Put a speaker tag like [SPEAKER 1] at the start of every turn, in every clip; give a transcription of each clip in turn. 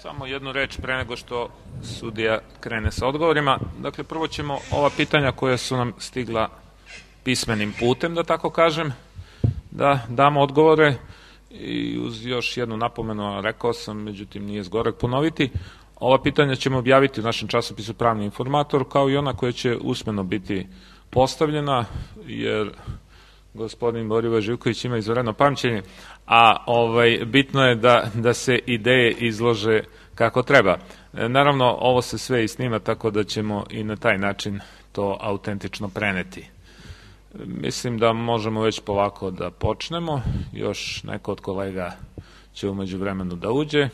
[SPEAKER 1] Samo jednu reč pre nego što sudija krene sa odgovorima. Dakle, prvo ćemo ova pitanja koja su nam stigla pismenim putem, da tako kažem, da damo odgovore i uz još jednu napomenu, rekao sam, međutim nije zgoreg ponoviti. Ova pitanja ćemo objaviti u našem časopisu Pravni informator, kao i ona koja će usmeno biti postavljena, jer gospodin Borivoje Živković ima izvanredno pamćenje, a bitno je da se ideje izlože kako treba. Naravno, ovo se sve i snima, tako da ćemo i na taj način to autentično preneti. Mislim da možemo već polako da počnemo. Još neko od kolega će umeđu vremenu da uđe,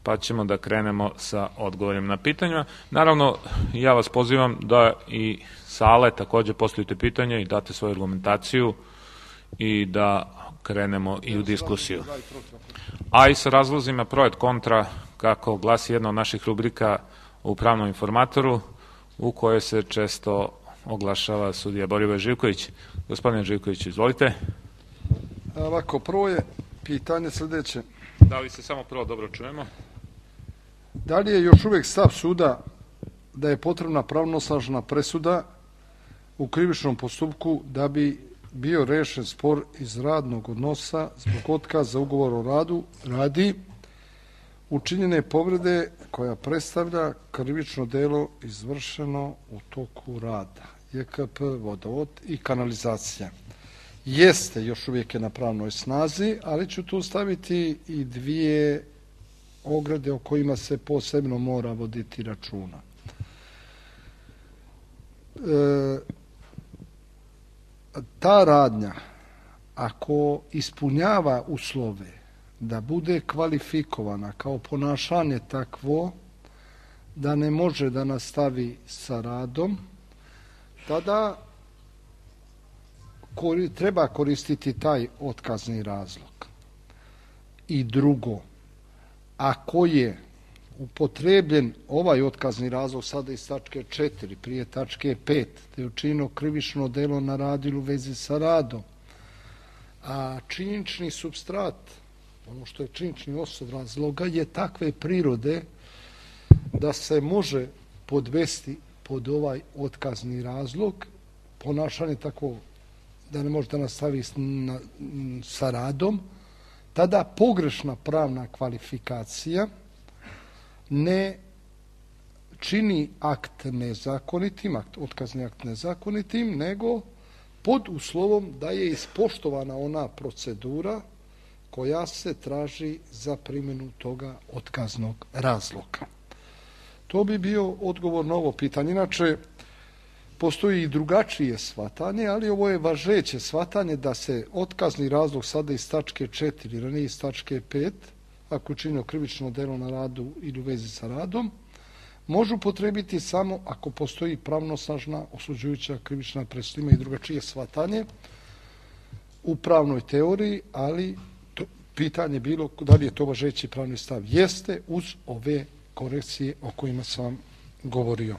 [SPEAKER 1] pa ćemo da krenemo sa odgovorima na pitanja. Naravno, ja vas pozivam da i sale takođe postavite pitanja i date svoju argumentaciju i da krenemo i u diskusiju. A i sa razlozima pro et kontra, kako glasi jedna od naših rubrika u Pravnom informatoru, u kojoj se često oglašava sudija Borivoje Živković. Gospodine Živković, izvolite.
[SPEAKER 2] Ovako, prvo je pitanje sljedeće.
[SPEAKER 1] Da li se samo prvo dobro čujemo?
[SPEAKER 2] Da li je još uvijek stav suda da je potrebna pravnosnažna presuda u krivičnom postupku da bi bio rešen spor iz radnog odnosa zbog otkaza ugovora o radu radi učinjene povrede koja predstavlja krivično delo izvršeno u toku rada, JKP, vodovod i kanalizacija? Jeste, još uvijek je na pravnoj snazi, ali ću tu staviti i dvije ograde o kojima se posebno mora voditi računa. Ta radnja, ako ispunjava uslove da bude kvalifikovana kao ponašanje takvo da ne može da nastavi sa radom, tada treba koristiti taj otkazni razlog. I drugo, ako je upotrebljen ovaj otkazni razlog sada iz tačke 4, prije tačke 5, da je učinjeno krivično delo na radilu u vezi sa radom, a činjenični supstrat, ono što je činjenični osnov razloga, je takve prirode da se može podvesti pod ovaj otkazni razlog, ponašanje tako da ne može da nastavi sa radom, tada pogrešna pravna kvalifikacija ne čini akt nezakonitim, otkazni akt nezakonitim, nego pod uslovom da je ispoštovana ona procedura koja se traži za primjenu toga otkaznog razloga. To bi bio odgovor na ovo pitanje. Inače, postoji i drugačije shvatanje, ali ovo je važeće shvatanje da se otkazni razlog sada iz tačke 4, ranije iz tačke 5, ako je učinio krivično delo na radu ili u vezi sa radom, može upotrebiti samo ako postoji pravnosnažna osuđujuća krivična presuda. Ima i drugačije shvatanje u pravnoj teoriji, ali pitanje bilo da li je to važeći pravni stav. Jeste, uz ove korekcije o kojima sam vam govorio.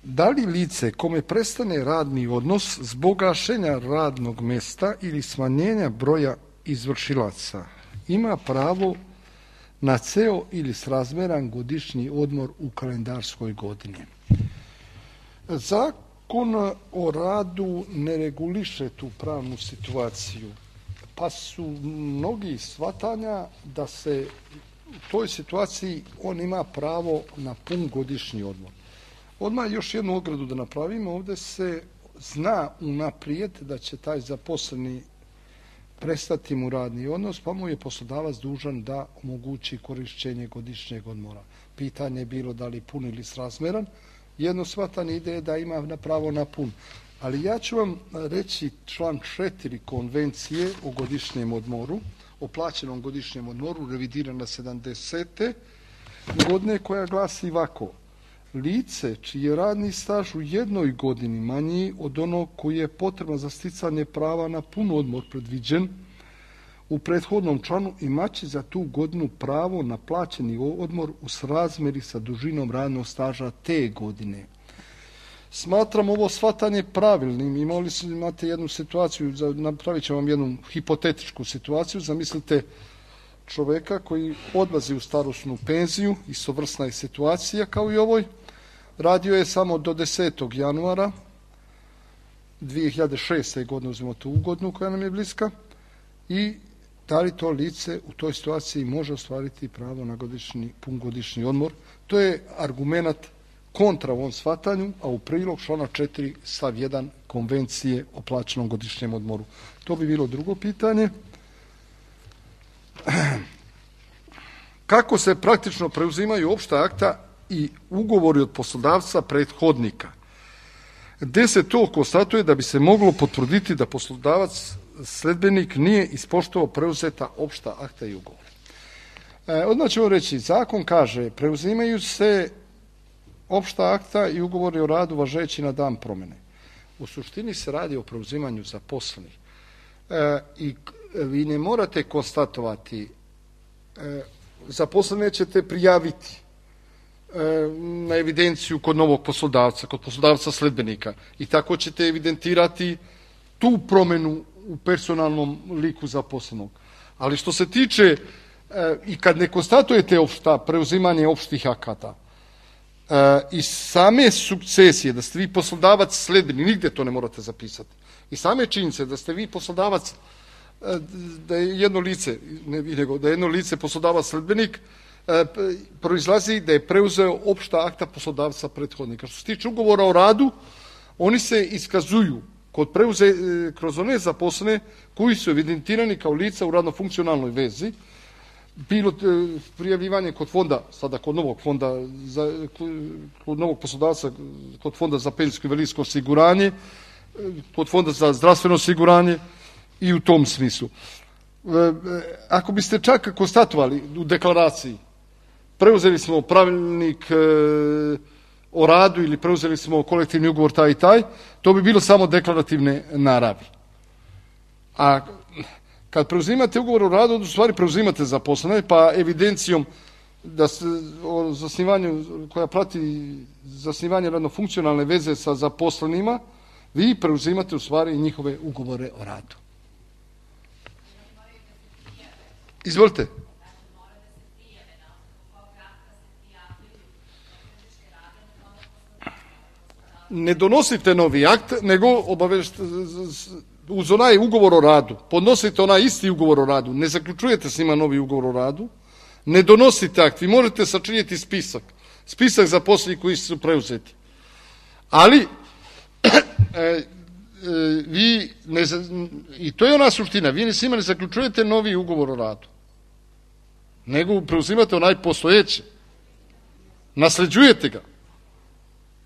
[SPEAKER 2] Da li lice kome prestane radni odnos zbog gašenja radnog mesta ili smanjenja broja izvršilaca ima pravo na ceo ili srazmeran godišnji odmor u kalendarskoj godini? Zakon o radu ne reguliše tu pravnu situaciju, pa su mnogi shvatanja da se u toj situaciji on ima pravo na pun godišnji odmor. Odmah još jednu ogradu da napravimo. Ovdje se zna unaprijed da će taj zaposleni prestati mu radni odnos, pa mu je poslodavac dužan da omogući korišćenje godišnjeg odmora. Pitanje je bilo da li pun ili srazmeran. Jedno shvatanje ide da ima pravo na pun. Ali ja ću vam reći član 4 konvencije o godišnjem odmoru, o plaćenom godišnjem odmoru, revidirana 70. godine, koja glasi ovako: lice čiji je radni staž u jednoj godini manji od onog koji je potrebno za sticanje prava na pun odmor predviđen u prethodnom članu imaće za tu godinu pravo na plaćeni odmor u srazmeri sa dužinom radnog staža te godine. Smatram ovo shvatanje pravilnim. Imate jednu situaciju, napravit ću vam jednu hipotetičku situaciju. Zamislite čoveka koji odlazi u starosnu penziju, istovrsna je situacija kao i ovoj. Radio je samo do 10. januara 2006. godine, uzmemo tu godinu koja nam je bliska, i da li to lice u toj situaciji može ostvariti pravo na pungodišnji odmor. To je argument kontra ovom shvatanju, a u prilog člana 4 stav 1 Konvencije o plaćenom godišnjem odmoru. To bi bilo drugo pitanje. Kako se praktično preuzimaju opšta akta i ugovori od poslodavca prethodnika, gde se to konstatuje da bi se moglo potvrditi da poslodavac sledbenik nije ispoštovao preuzeta opšta akta i ugovor. Odmah ćemo reći, zakon kaže preuzimaju se opšta akta i ugovori o radu važeći na dan promjene. U suštini se radi o preuzimanju zaposlenih. I vi ne morate konstatovati, zaposlene ćete prijaviti na evidenciju kod novog poslodavca, kod poslodavca sledbenika, i tako ćete evidentirati tu promjenu u personalnom liku zaposlenog. Ali što se tiče, i kad ne konstatujete preuzimanje opštih akata, i same sukcesije, da ste vi poslodavac sledbenik, nigde to ne morate zapisati, i same činjenice da ste vi poslodavac, da je jedno lice, da je jedno lice poslodavac sledbenik, proizlazi da je preuzeo opšta akta poslodavca prethodnika. Što se tiče ugovora o radu, oni se iskazuju kroz one zaposlene koji su evidentirani kao lica u radno-funkcionalnoj vezi, bilo prijavljivanje kod fonda, sada kod novog fonda, kod novog poslodavca, kod fonda za penzijsko i invalidsko osiguranje, kod fonda za zdravstveno osiguranje i u tom smislu. Ako biste čak konstatovali u deklaraciji, preuzeli smo pravilnik o radu ili preuzeli smo kolektivni ugovor taj i taj, to bi bilo samo deklarativne naravi. A kad preuzimate ugovor o radu, u stvari preuzimate zaposlene, pa evidencijom o zasnivanju, koja prati zasnivanje radno-funkcionalne veze sa zaposlenima, vi preuzimate u stvari njihove ugovore o radu. Izvolite. Ne donosite novi akt, nego uz onaj ugovor o radu, podnosite onaj isti ugovor o radu, ne zaključujete s njima novi ugovor o radu, ne donosite akt, vi možete sačiniti spisak zaposlenih koji su preuzeti. Ali, i to je ona suština, vi s njima ne zaključujete novi ugovor o radu, nego preuzimate onaj postojeći, nasleđujete ga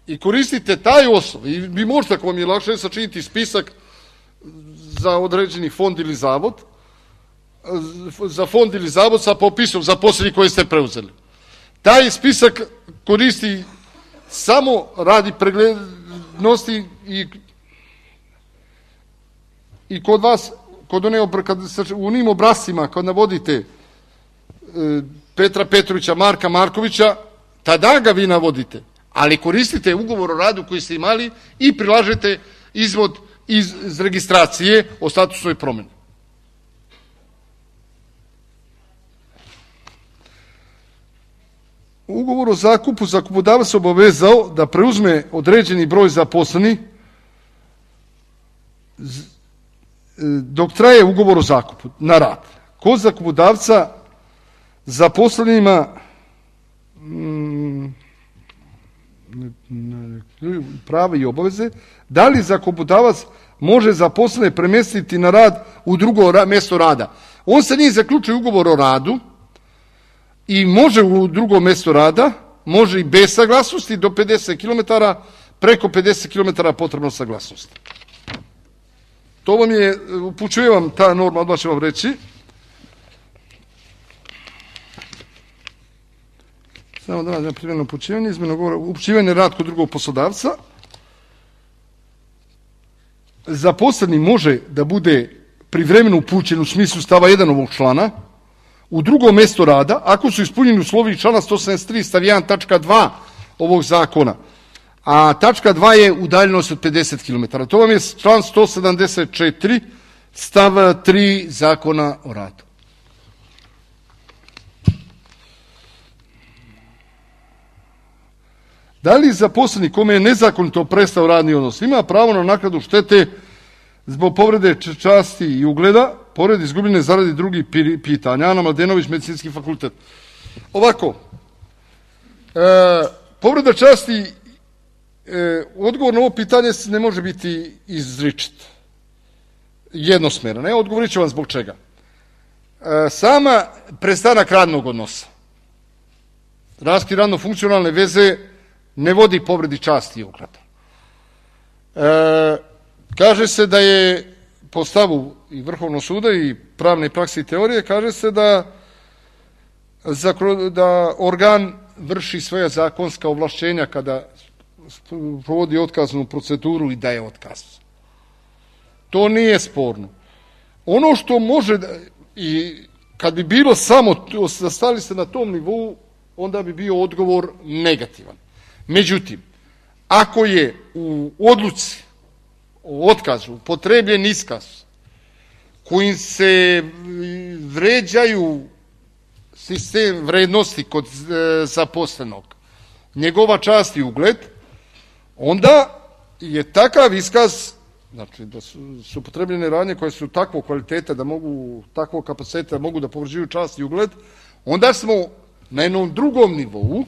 [SPEAKER 2] i koristite taj osnov. I vi možete, ako vam je lakše, sačiniti spisak za određeni fond ili zavod, za fond ili zavod sa popisom zaposlenih koje ste preuzeli. Taj spisak koristi samo radi preglednosti i kod vas, u onim obrascima, kad navodite Petra Petrovića, Marka Markovića, tada ga vi navodite, ali koristite ugovor o radu koji ste imali i prilažete izvod iz registracije o statusnoj promjeni. U ugovoru o zakupu zakupodavac se obavezao da preuzme određeni broj zaposlenih dok traje ugovor o zakupu na rad. Kod zakupodavca zaposlenima prava i obaveze, da li zakupodavac može zaposlene premjestiti na rad u drugo mjesto rada. On se nije zaključio ugovor o radu i može u drugo mjesto rada, može i bez saglasnosti do 50 km, preko 50 km potrebno saglasnost. To vam je, upućujem vam ta norma, odmah ću vam reći. Samo da nađem primjerno upućivanje, izmjeno govora, upućivanje rad kod drugog poslodavca. Zaposleni može da bude privremeno upućen u smislu stava 1 ovog člana u drugo mjesto rada, ako su ispunjeni uslovi člana 173 stav 1 tačka 2 ovog zakona, a tačka 2 je udaljenost od 50 km. To vam je član 174 stav 3 zakona o radu. Da li zaposleni kome je nezakonito prestao radni odnos ima pravo na naknadu štete zbog povrede časti i ugleda, pored izgubljene zarade drugih pitanja? Ana Mladenović, Medicinski fakultet. Ovako, povreda časti, odgovor na ovo pitanje ne može biti izričit, jednosmeran. Odgovorit ću vam zbog čega. Sama prestanak radnog odnosa, raskid radno-funkcionalne veze ne vodi povredi časti i ugleda. Kaže se da je po stavu i Vrhovnog suda i pravne prakse i teorije, kaže se da organ vrši svoja zakonska ovlašćenja kada provodi otkaznu proceduru i daje otkaz. To nije sporno. Ono što može, i kad bi bilo samo, stali se na tom nivou, onda bi bio odgovor negativan. Međutim, ako je u odluci o otkazu upotrebljen iskaz kojim se vređaju sistem vrednosti kod zaposlenog, njegova čast i ugled, onda je takav iskaz, znači da su upotrebljene radnje koje su takvog kvaliteta, takvog kapaciteta da mogu da povređuju čast i ugled, onda smo na jednom drugom nivou,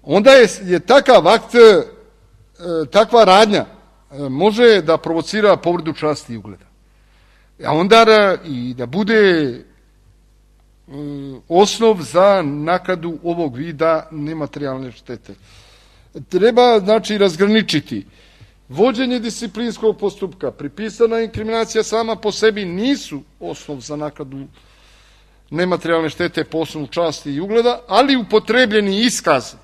[SPEAKER 2] onda je takav akt, takva radnja može da provocira povredu časti i ugleda. A onda i da bude osnov za naknadu ovog vida nematerijalne štete. Treba, znači, razgraničiti. Vođenje disciplinskog postupka, pripisana inkriminacija sama po sebi nisu osnov za naknadu nematerijalne štete po osnovu časti i ugleda, ali upotrebljeni iskaz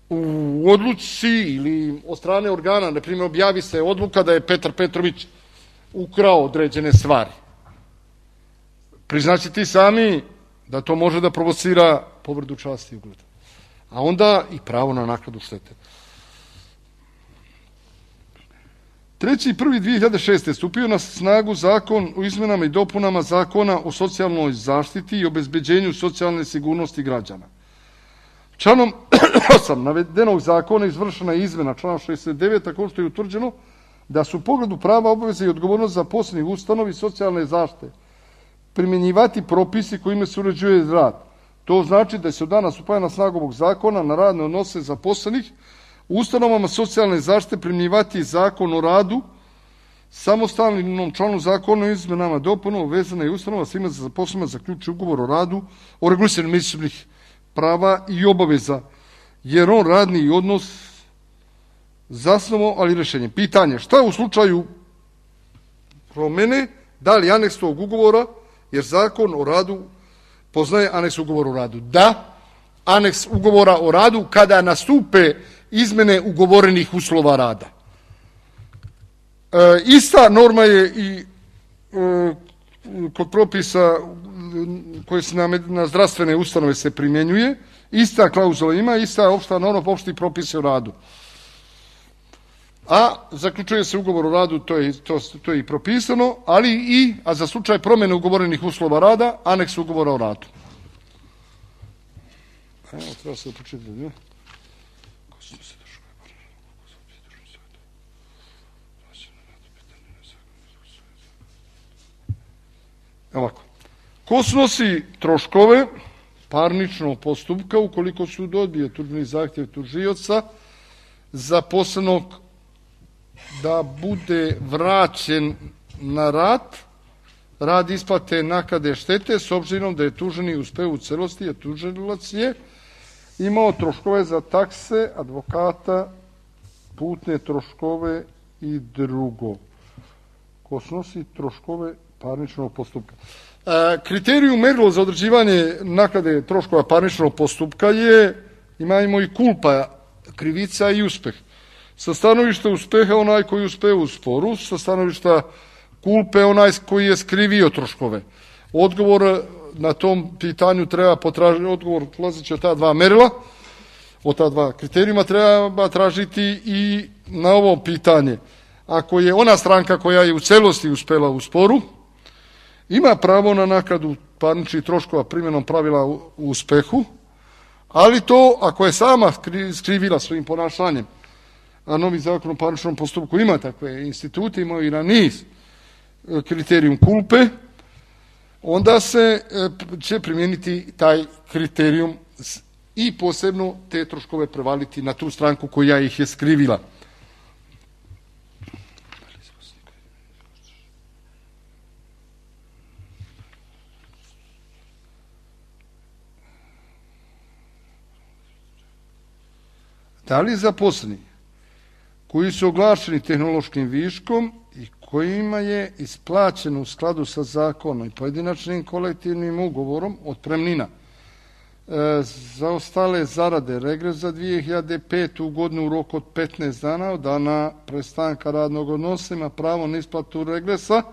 [SPEAKER 2] u odluci ili od strane organa, na primjer, objavi se odluka da je Petar Petrović ukrao određene stvari. Priznaći ti sami da to može da provocira povredu časti i ugleda. A onda i pravo na naknadu štete. 3.1.2006. stupio na snagu zakon o izmenama i dopunama Zakona o socijalnoj zaštiti i obezbeđenju socijalne sigurnosti građana. Članom 8 navedenog zakona izvršena je izmena člana 69, tako što je utvrđeno da su u pogledu prava, obaveze i odgovornost zaposlenih ustanovi socijalne zaštite primjenjivati propisi kojima se uređuje rad. To znači da se od dana stupanja na snagu ovog zakona na radne odnose zaposlenih u ustanovama socijalne zaštite primjenjivati Zakon o radu, samostalnom članu zakona o izmenama dopunama vezana je ustanova svima za zaposlenima zaključuje ugovor o radu o regulisanju međusobnih prava i obaveza, jer on radni odnos zasnovao, ali rješenje. Pitanje, šta u slučaju promene, da li aneks tog ugovora, jer Zakon o radu poznaje aneks ugovora o radu. Da, aneks ugovora o radu kada nastupe izmene ugovorenih uslova rada. Ista norma je i kod propisa koje se na zdravstvene ustanove se primjenjuje, ista klauzula ima, ista opšta norma po opšti propise o radu. A zaključuje se ugovor o radu, to je i propisano, ali a za slučaj promjene ugovorenih uslova rada, aneks ugovora o radu. Treba se početi, ne? Ovako. Ko snosi troškove parničnog postupka ukoliko sud odbije tužbeni zahtjev tužioca zaposlenog da bude vraćen na rad isplate naknade štete s obzirom da je tuženi uspeo u celosti, a tužilac je imao troškove za takse, advokata, putne troškove i drugo. Ko snosi troškove parničnog postupka. Kriterijum merilo za određivanje naknade troškova parničnog postupka imamo i kulpa, krivica i uspeh. Sa stanovišta uspeha onaj koji uspeo u sporu, sa stanovišta kulpe onaj koji je skrivio troškove. Odgovor na tom pitanju treba potražiti, odgovor polazeći od ta dva merila, od ta dva kriterijuma treba tražiti i na ovo pitanje. Ako je ona stranka koja je u celosti uspela u sporu, ima pravo na naknadu parničnih troškova primjenom pravila u uspehu, Ali to, ako je sama skrivila svojim ponašanjem, a novi zakon o parničnom postupku ima takve institute, ima i na niz kriterijum kulpe, onda se će primijeniti taj kriterijum i posebno te troškove prevaliti na tu stranku koja ih je skrivila. Da li zaposleni koji su oglašeni tehnološkim viškom i kojima je isplaćeno u skladu sa zakonom i pojedinačnim kolektivnim ugovorom otpremnina za ostale zarade, regres za 2005. godinu u roku od 15 dana od dana prestanka radnog odnosa ima pravo na isplatu regresa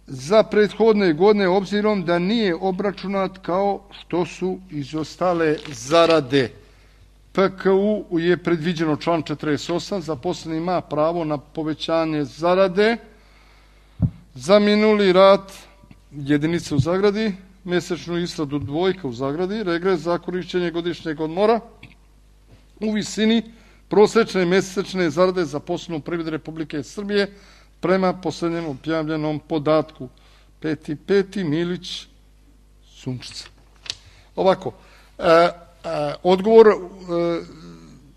[SPEAKER 2] za prethodne godine obzirom da nije obračunat kao što su izostale zarade. PKU je predviđeno član 48, zaposleni ima pravo na povećanje zarade za minuli rad jedinice u zagradi, mjesečnu isplatu dvojka u zagradi, regres za korišćenje godišnjeg odmora u visini prosječne mjesečne zarade zaposlene u privredi Republike Srbije prema posljednjem objavljenom podatku. 5.5. Milić Sunčica. Ovako, odgovor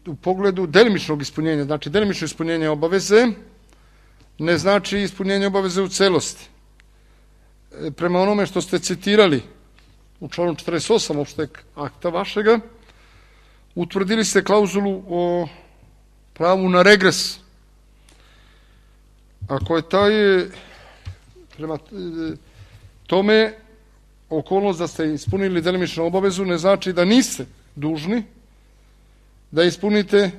[SPEAKER 2] u pogledu delimičnog ispunjenja, znači delimično ispunjenje obaveze ne znači ispunjenje obaveze u celosti. Prema onome što ste citirali u članu 48 opšteg akta vašega, utvrdili ste klauzulu o pravu na regres. Ako je taj, prema tome, okolnost da ste ispunili delimičnu obavezu ne znači da niste dužni da ispunite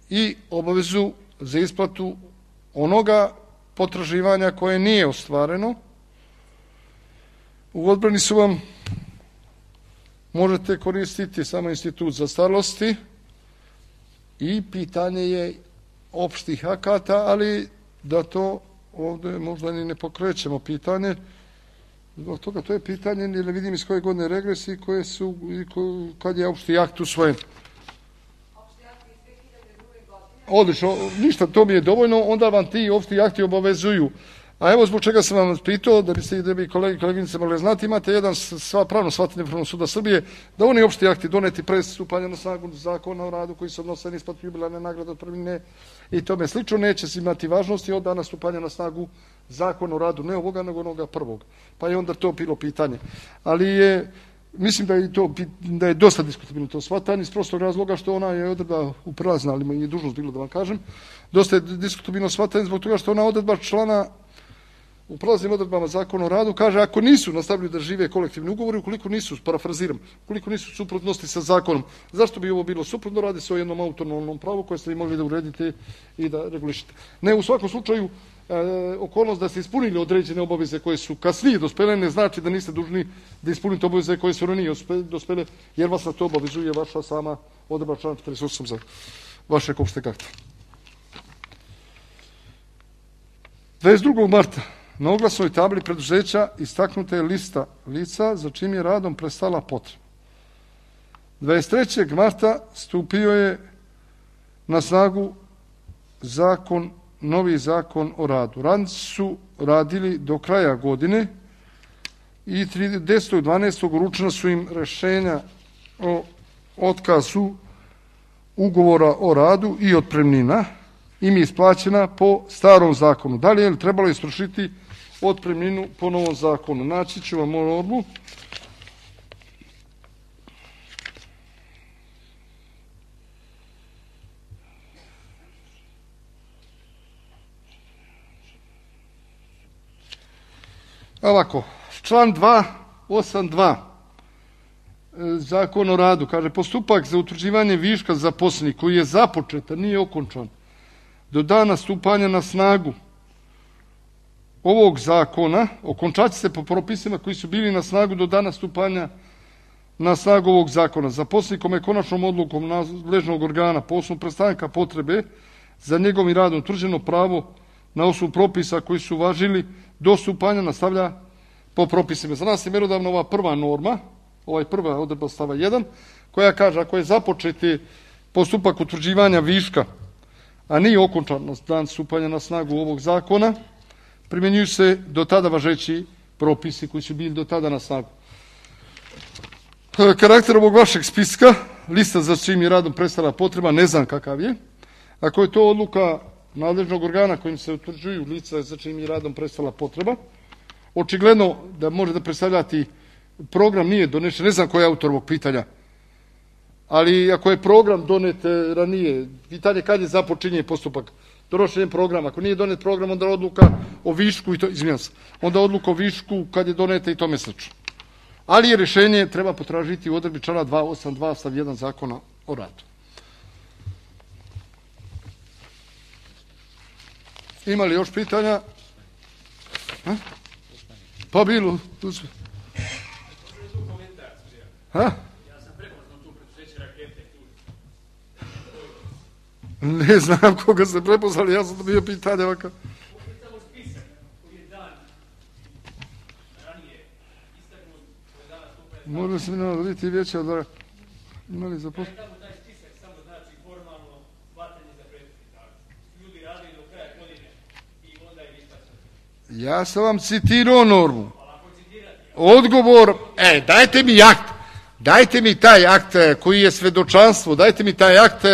[SPEAKER 2] i obavezu za isplatu onoga potraživanja koje nije ostvareno. U odbrani su vam možete koristiti samo institut zastarelosti i pitanje je opštih akata, ali da to ovdje možda ni ne pokrećemo pitanje. Zbog toga to je pitanje, ne vidim iz koje godine regres i koje su, kad je opšti akt usvojen.
[SPEAKER 3] Opšti akt iz 2002. godine.
[SPEAKER 2] Odlično, ništa, to mi je dovoljno, onda vam ti opšti akti obavezuju. A evo zbog čega sam vam pitao, da biste da bi kolege i koleginice mogli znati, imate jedan pravno shvatanje Vrhovnog suda Srbije, da oni opšti akti doneti pre stupanja na snagu zakona o radu koji se odnose na isplatu jubilarne nagrade, otpremnine i tome slično, neće se imati važnosti od dana stupanja na snagu zakona o radu, ne ovoga, nego onoga prvog. Pa je onda to bilo pitanje. Ali je, mislim da je dosta diskutabilno to shvatanje iz prostog razloga što ona je odredba uprazna, ali mi je dužnost bilo da vam kažem, dosta je diskutabilno shvatanje zbog toga što ona odredba člana u prelaznim odredbama zakona o radu kaže ako nisu nastavili da žive kolektivni ugovori, ukoliko nisu, parafraziram, ukoliko nisu suprotnosti sa zakonom, zašto bi ovo bilo suprotno? Radi se o jednom autonomnom pravu koje ste vi mogli da uredite i da regulišete. Ne, u svakom slučaju, okolnost da ste ispunili određene obaveze koje su kasnije dospele ne znači da niste dužni da ispunite obaveze koje su ranije dospele, jer vas na to obavezuje vaša sama odredba člana 48 za vašeg opšteg akta. 22. marta na oglasnoj tabli preduzeća istaknuta je lista lica za čim je radom prestala potreba. 23. marta stupio je na snagu novi zakon o radu. Radnici su radili do kraja godine i 10.12. uručena su im rešenja o otkazu ugovora o radu i otpremnina im je isplaćena po starom zakonu. Da li je trebalo istrošiti otpremninu po novom zakonu? Naći ću vam normu. Ovako, član 282 Zakon o radu kaže postupak za utvrđivanje viška zaposlenih koji je započet, a nije okončan do dana stupanja na snagu ovog zakona, okončat će se po propisima koji su bili na snagu do dana stupanja na snagu ovog zakona. Zaposleni kome je konačnom odlukom nadležnog organa po osnovu prestanka potrebe za njegovim radom utvrđeno pravo na osnovu propisa koji su važili do stupanja nastavlja po propisima. Za nas je mjerodavna ova prva norma prva odredba stava 1, koja kaže ako je započeti postupak utvrđivanja viška, a nije okončan na dan stupanja na snagu ovog zakona, primjenjuju se do tada važeći propisi koji su bili do tada na snagu. Karakter ovog vašeg spiska, lista za čim je radom prestala potreba, ne znam kakav je. Ako je to odluka nadležnog organa kojim se utvrđuju lica za čim je radom prestala potreba, očigledno da može da predstavljati program nije donešen, ne znam ko je autor ovog pitanja, ali ako je program donet ranije, pitanje kad je započinje postupak donošenjem programa. Ako nije donet program, onda odluka o višku, onda odluka o višku kad je doneta i tome slično. Ali je rješenje treba potražiti u odredbi člana 282 stav 1 Zakona o radu. Ima li još pitanja? Pa bilo. Ne znam koga se prepoznali, ja sam dobio pitanje ovakav. Možda se mi nama biti vijeća da imali za posao. Taj spisak samo znači formalno hvatanje za prethodni. Ljudi radi do kraja godine i onda je isplaćeno. Ja sam vam citirao normu. Odgovor, dajte mi akt. Dajte mi taj akt koji je svedočanstvo, dajte mi taj akt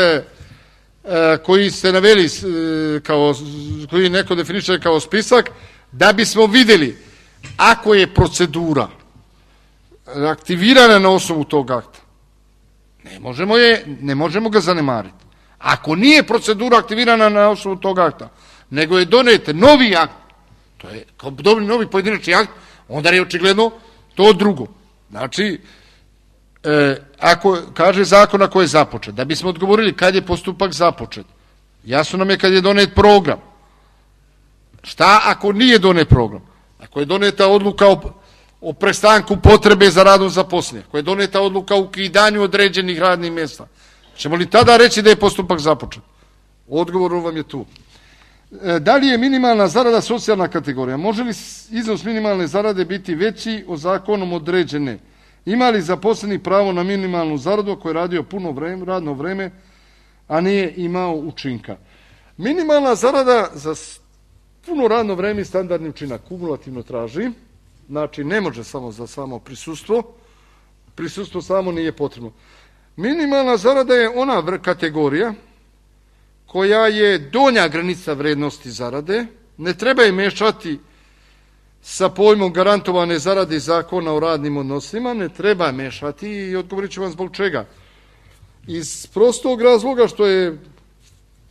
[SPEAKER 2] koji ste naveli, koji neko definiše kao spisak, da bismo vidjeli ako je procedura aktivirana na osnovu tog akta. Ne možemo ga zanemariti. Ako nije procedura aktivirana na osnovu tog akta, nego je donet novi akt, to je kao novi pojedinačni akt, onda je očigledno to drugo. Znači, ako kaže zakon ako je započet, da bismo odgovorili kad je postupak započet, jasno nam je kad je donet program. Šta ako nije donet program? Ako je doneta odluka o prestanku potrebe za radom zaposlenja, ako je doneta odluka o ukidanju određenih radnih mjesta, ćemo li tada reći da je postupak započet? Odgovor vam je tu. Da li je minimalna zarada socijalna kategorija? Može li iznos minimalne zarade biti veći od zakonom određene? Ima li zaposleni pravo na minimalnu zaradu ako je radio puno radno vreme, a nije imao učinka? Minimalna zarada za puno radno vreme i standardni učinak kumulativno traži, znači ne može samo za samo prisustvo samo nije potrebno. Minimalna zarada je ona kategorija koja je donja granica vrednosti zarade, ne treba je mešati sa pojmom garantovane zarade iz zakona o radnim odnosima, ne treba mešati i odgovorit ću vam zbog čega. Iz prostog razloga što je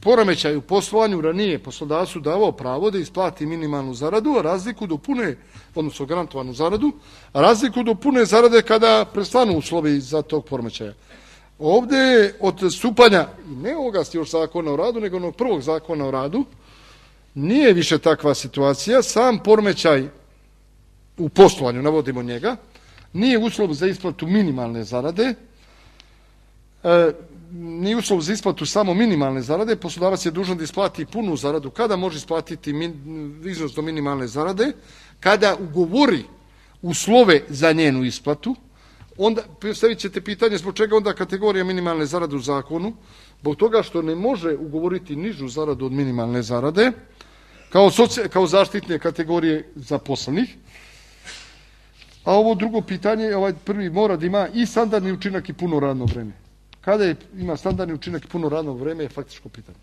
[SPEAKER 2] poremećaj u poslovanju ranije poslodavcu davao pravo da isplati minimalnu zaradu, a razliku do pune, odnosno garantovanu zaradu, a razliku do pune zarade kada prestanu uslovi za tog poremećaja. Ovdje od stupanja, ne ovoga još zakona o radu, nego onog prvog zakona o radu, nije više takva situacija, sam poremećaj u poslovanju, navodimo njega, nije uslov za isplatu minimalne zarade, nije uslov za isplatu samo minimalne zarade, poslodavac je dužan da isplati punu zaradu. Kada može isplatiti iznos do minimalne zarade? Kada ugovori uslove za njenu isplatu, onda postavit ćete pitanje zbog čega onda kategorija minimalne zarade u zakonu, zbog toga što ne može ugovoriti nižu zaradu od minimalne zarade, kao zaštitne kategorije zaposlenih. A ovo drugo pitanje, ovaj prvi mora da ima i standardni učinak i puno radno vreme. Kada ima standardni učinak i puno radno vreme je faktičko pitanje.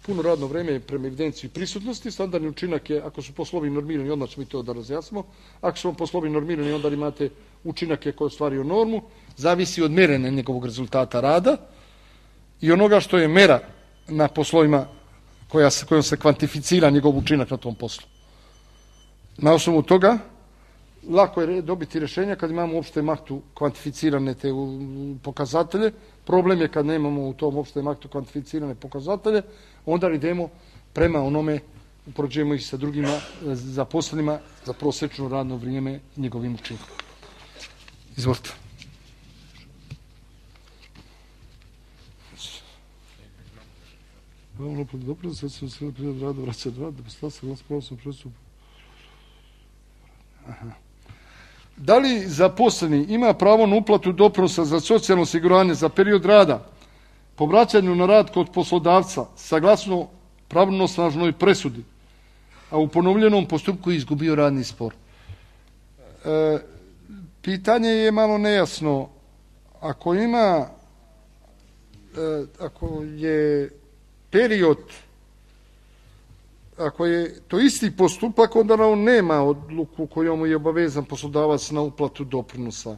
[SPEAKER 2] Puno radno vreme je prema evidenciji prisutnosti, standardni učinak je, ako su poslovi normirani, odmah ćemo i to da razjasnimo, ako su poslovi normirani, onda imate učinak je koji je ostvario normu, zavisi od mjerenja njegovog rezultata rada i onoga što je mera na poslovima kojom se kvantificira njegov učinak na tom poslu. Na osnovu toga, lako je dobiti rješenja kad imamo u opštem aktu kvantificirane te pokazatelje. Problem je kad nemamo u tom opštem aktu kvantificirane pokazatelje, onda idemo prema onome, upoređujemo ih sa drugima zaposlenima za prosečno radno vrijeme njegovim učinkom. Izvolite. Dobro, sad sam se prijed rada vraća dva, da bi stala se glas pravosnom prestupu. Aha. Da li zaposleni ima pravo na uplatu doprinosa za socijalno osiguranje za period rada po vraćanju na rad kod poslodavca saglasno pravnosnažnoj presudi, a u ponovljenom postupku izgubio radni spor? Pitanje je malo nejasno. Ako je period, ako je to isti postupak, onda on nema odluku kojom je obavezan poslodavac na uplatu doprinosa.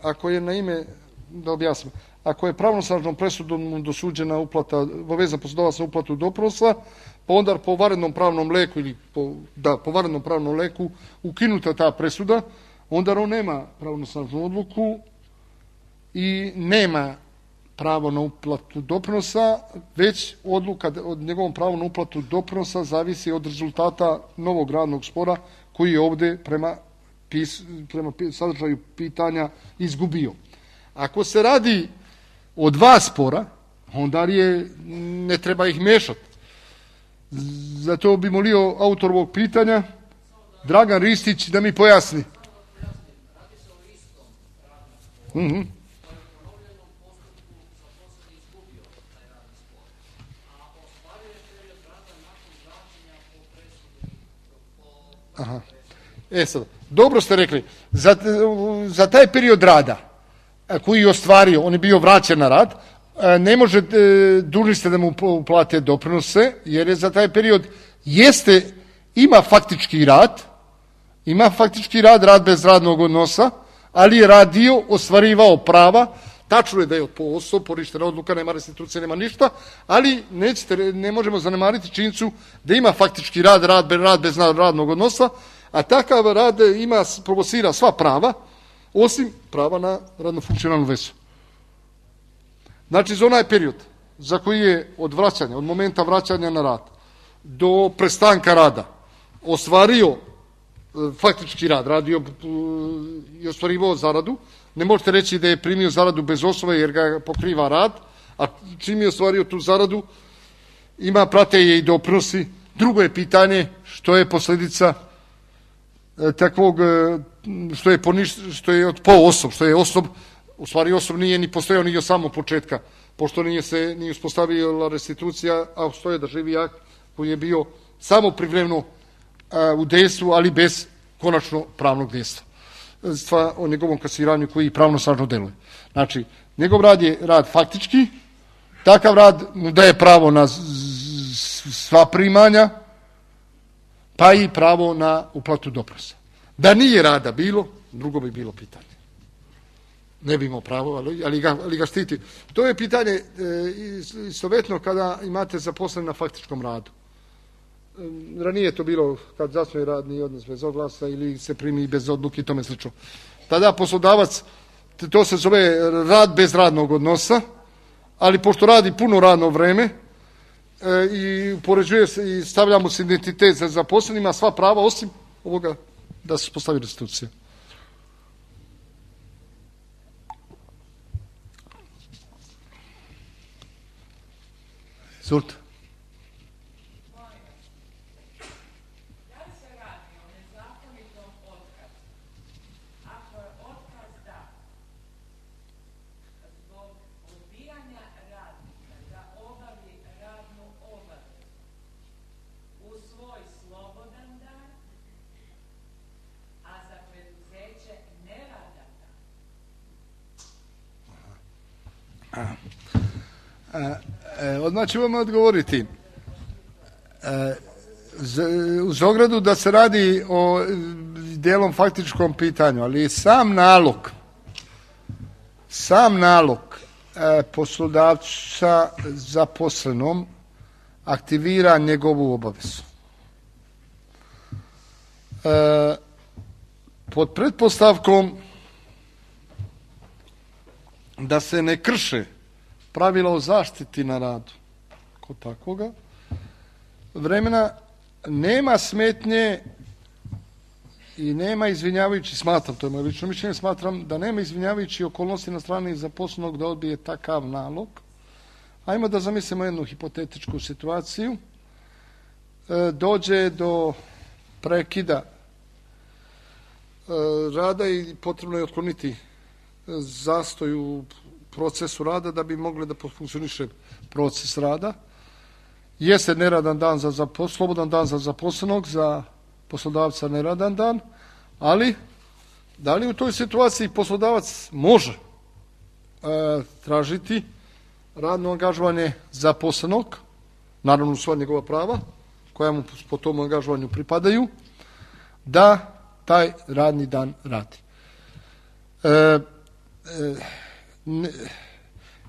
[SPEAKER 2] Ako je da objasnim, ako je pravnosnažnom presudom dosuđena uplata, obavezan poslodavac na uplatu doprinosa, pa onda po vanrednom pravnom leku po vanrednom pravnom leku ukinuta ta presuda, onda on nema pravnosnažnu odluku i nema pravo na uplatu doprinosa, već odluka od njegovom pravu na uplatu doprinosa zavisi od rezultata novog radnog spora koji je ovdje prema sadržaju pitanja izgubio. Ako se radi o dva spora, onda ne treba ih mešati. Zato bi molio autor ovog pitanja, Dragan Ristić, da mi pojasni. Aha. Sad, dobro ste rekli, za taj period rada koji je ostvario, on je bio vraćen na rad, ne može, dužni ste da mu uplate doprinose, jer je za taj period ima faktički rad bez radnog odnosa, ali je radio, ostvarivao prava. Tačno je da je od poništena odluka, nema restitucije, nema ništa, ali ne možemo zanemariti činjenicu da ima faktički rad bez radnog odnosa, a takav rad provocira sva prava, osim prava na radno funkcionalnu vezu. Znači, za onaj period za koji je od momenta vraćanja na rad do prestanka rada ostvario faktički rad, radio i ostvarivao zaradu, ne možete reći da je primio zaradu bez osnove jer ga pokriva rad, a čim je ostvario tu zaradu, prate je i doprinosi. Drugo je pitanje što je posljedica takvog, što je osob, u stvari osob nije ni postojao ni od samog početka, pošto nije uspostavila restitucija, a stoje da živi akt koji je bio samo privremeno u dejstvu, ali bez konačno pravnog dejstva. O njegovom kasiranju koji pravnosnažno deluje. Znači, njegov rad je rad faktički, takav rad mu daje pravo na sva primanja, pa i pravo na uplatu doprinosa. Da nije rada bilo, drugo bi bilo pitanje. Ne bi imao pravo, ali ga štiti. To je pitanje istovetno kada imate zaposlen na faktičkom radu. Ranije je to bilo kad zasnuje radni odnos bez oglasa ili se primi bez odluke i tome slično. Tada poslodavac, to se zove rad bez radnog odnosa, ali pošto radi puno radno vreme i upoređuje se i stavlja mu se identitet za zaposlenima, sva prava osim ovoga da se postavi restitucija. Surta. Odmah ću vam odgovoriti. Uz ogradu da se radi o dijelom faktičkom pitanju, ali sam nalog poslodavca zaposlenom aktivira njegovu obavezu. Pod pretpostavkom da se ne krše pravila o zaštiti na radu kod takvoga vremena, nema smetnje i nema izvinjavajući, to je moje lično mišljenje, smatram da nema izvinjavajući okolnosti na strani zaposlenog da odbije takav nalog. Ajmo da zamislimo jednu hipotetičku situaciju. Dođe do prekida rada i potrebno je otkloniti zastoj u procesu rada da bi mogli da funkcioniše proces rada. Jeste neradan dan slobodan dan za zaposlenog, za poslodavca neradan dan, ali da li u toj situaciji poslodavac može tražiti radno angažovanje zaposlenog, naravno sva njegova prava koja mu po tom angažovanju pripadaju, da taj radni dan radi.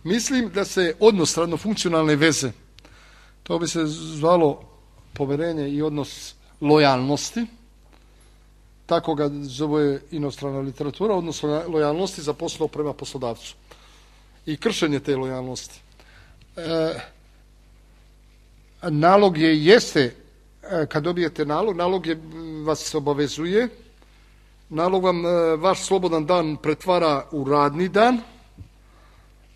[SPEAKER 2] Mislim da se odnos radno-funkcionalne veze, to bi se zvalo poverenje i odnos lojalnosti, tako ga zove inostrana literatura, odnosno lojalnosti zaposlenog prema poslodavcu i kršenje te lojalnosti. Nalog jeste, kad dobijete nalog vas obavezuje, nalog vam vaš slobodan dan pretvara u radni dan.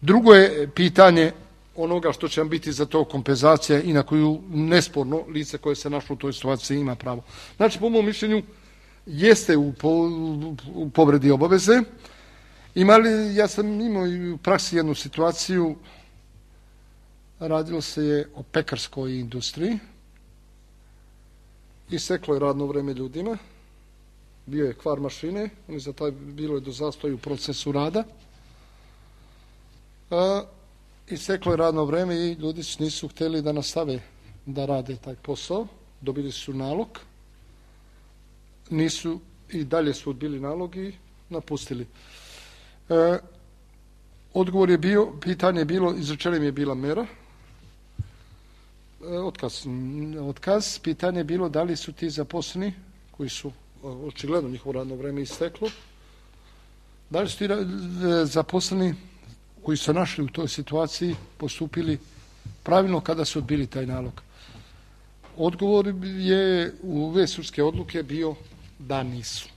[SPEAKER 2] Drugo je pitanje onoga što će vam biti za to kompenzacija i na koju nesporno lice koje se našlo u toj situaciji ima pravo. Znači, po mom mišljenju, jeste u povredi obaveze. Ja sam imao i u praksi jednu situaciju, radilo se je o pekarskoj industriji, isteklo je radno vreme ljudima, bio je kvar mašine, bilo je do zastoja u procesu rada, isteklo je radno vreme i ljudi nisu htjeli da nastave da rade taj posao, dobili su nalog, nisu i dalje su odbili nalog i napustili. Odgovor je bio, pitanje je bilo, izrečena im je bila mera, otkaz, pitanje je bilo da li su ti zaposleni, koji su očigledno njihovo radno vreme isteklo, da li su ti zaposleni koji su našli u toj situaciji postupili pravilno kada su odbili taj nalog. Odgovor je u ove sudske odluke bio da nisu.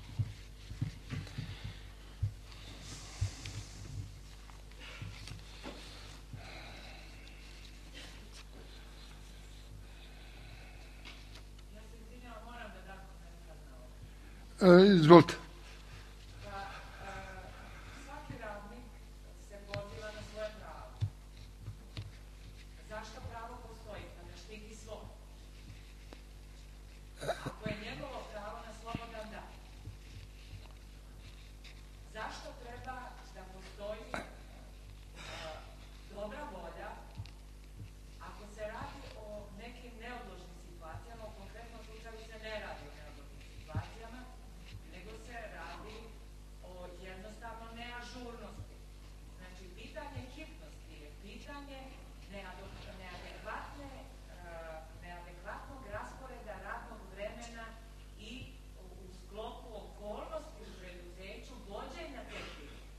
[SPEAKER 2] Izvolite.
[SPEAKER 3] Svaki radnik se poziva na svoje pravo. Zašto pravo postoji? Da ne štiti svoj. Ako je njegovo pravo na slobodan dan, zašto treba da postoji dobra volja ako se radi o nekim neodložnim situacijama, u konkretnom slučaju se ne radi o neodložnim situacijama, nego se radi o jednostavno neažurnosti. Znači, pitanje hitnosti je pitanje neadekvatnog rasporeda radnog vremena i u sklopu okolnosti u preduzeću vođenja te hitnosti.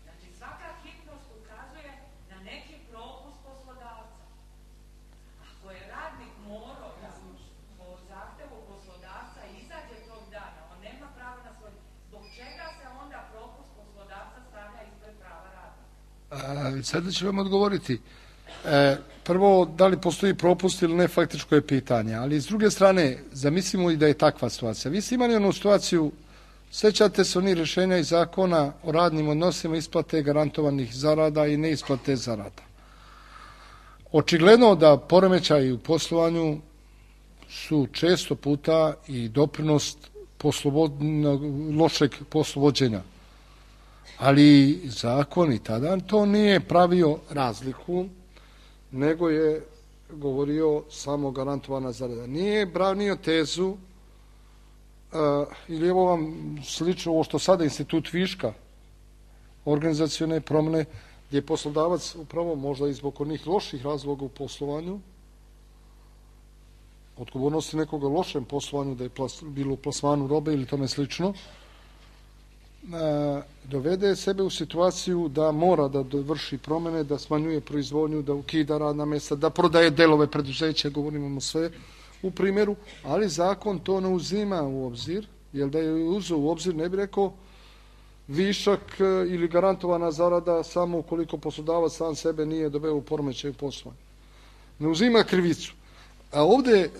[SPEAKER 3] Znači, svaka hitnost ukazuje na neki propust poslodavca. Ako je radnik morao da po zahtevu poslodavca izađe tog dana, on nema pravo na svoj... Zbog čega se onda propust poslodavca stavlja ispred prava radnika?
[SPEAKER 2] Sada ću vam odgovoriti. Prvo, da li postoji propust ili ne, faktičko je pitanje. Ali s druge strane, zamislimo i da je takva situacija. Vi ste imali onu situaciju, sjećate se onih rješenja iz zakona o radnim odnosima, isplate garantovanih zarada i neisplate zarada. Očigledno da poremećaji u poslovanju su često puta i doprinos lošeg poslovođenja. Ali zakon i tada to nije pravio razliku, nego je govorio samo garantovana zarada. Nije branio tezu, ili evo vam slično ovo što sada institut viška, organizacione promjene, gdje je poslodavac upravo možda i zbog onih loših razloga u poslovanju, odgovornosti nekoga lošem poslovanju, da je bilo u plasmanu robe ili tome slično, dovede sebe u situaciju da mora da vrši promjene, da smanjuje proizvodnju, da ukida radna mjesta, da prodaje delove preduzeća, govorimo sve u primjeru, ali zakon to ne uzima u obzir, jer da je uzeo u obzir ne bi rekao višak ili garantovana zarada samo ukoliko poslodavac sam sebe nije doveo u poremećaj poslovanju. Ne uzima krivicu. A ovdje,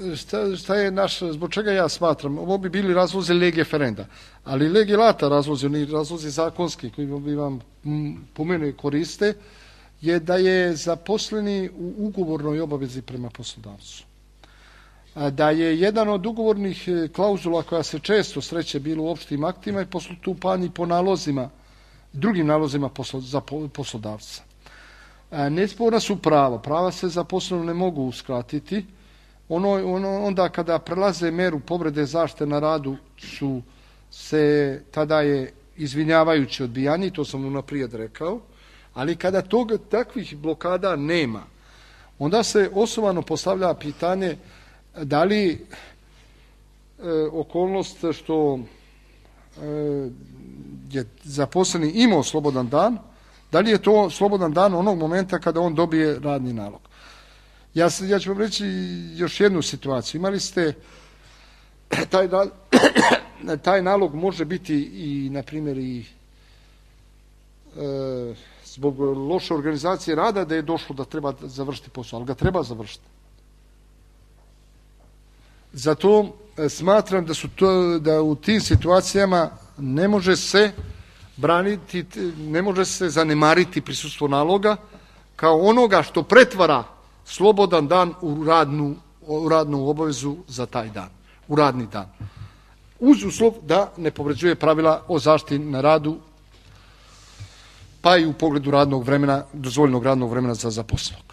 [SPEAKER 2] šta je naš, zbog čega ja smatram, ovo bi bili razlozi lege ferenda, ali lege lata razlozi, oni razlozi zakonski koji bi vam po mene koriste, je da je zaposleni u ugovornoj obavezi prema poslodavcu. Da je jedan od ugovornih klauzula koja se često sreće bilo u opštim aktima i postupanje po nalozima, drugim nalozima za poslodavca. Nesporna su prava. Prava se zaposleno ne mogu uskratiti. Onda kada prelaze meru povrede zaštite na radu tada je izvinjavajuće odbijanje, to sam unaprijed rekao, ali kada takvih blokada nema, onda se osnovano postavlja pitanje da li okolnost što je zaposleni imao slobodan dan, da li je to slobodan dan onog momenta kada on dobije radni nalog. Ja ću vam reći još jednu situaciju. Imali ste taj nalog može biti i, na primjer, i zbog loše organizacije rada da je došlo da treba završiti posao, ali ga treba završiti. Zato smatram da u tim situacijama ne može se braniti, ne može se zanemariti prisustvo naloga kao onoga što pretvara slobodan dan u radnu obavezu za taj dan, u radni dan. Uz uslov da ne povređuje pravila o zaštiti na radu, pa i u pogledu radnog vremena, dozvoljenog radnog vremena za zaposlenog.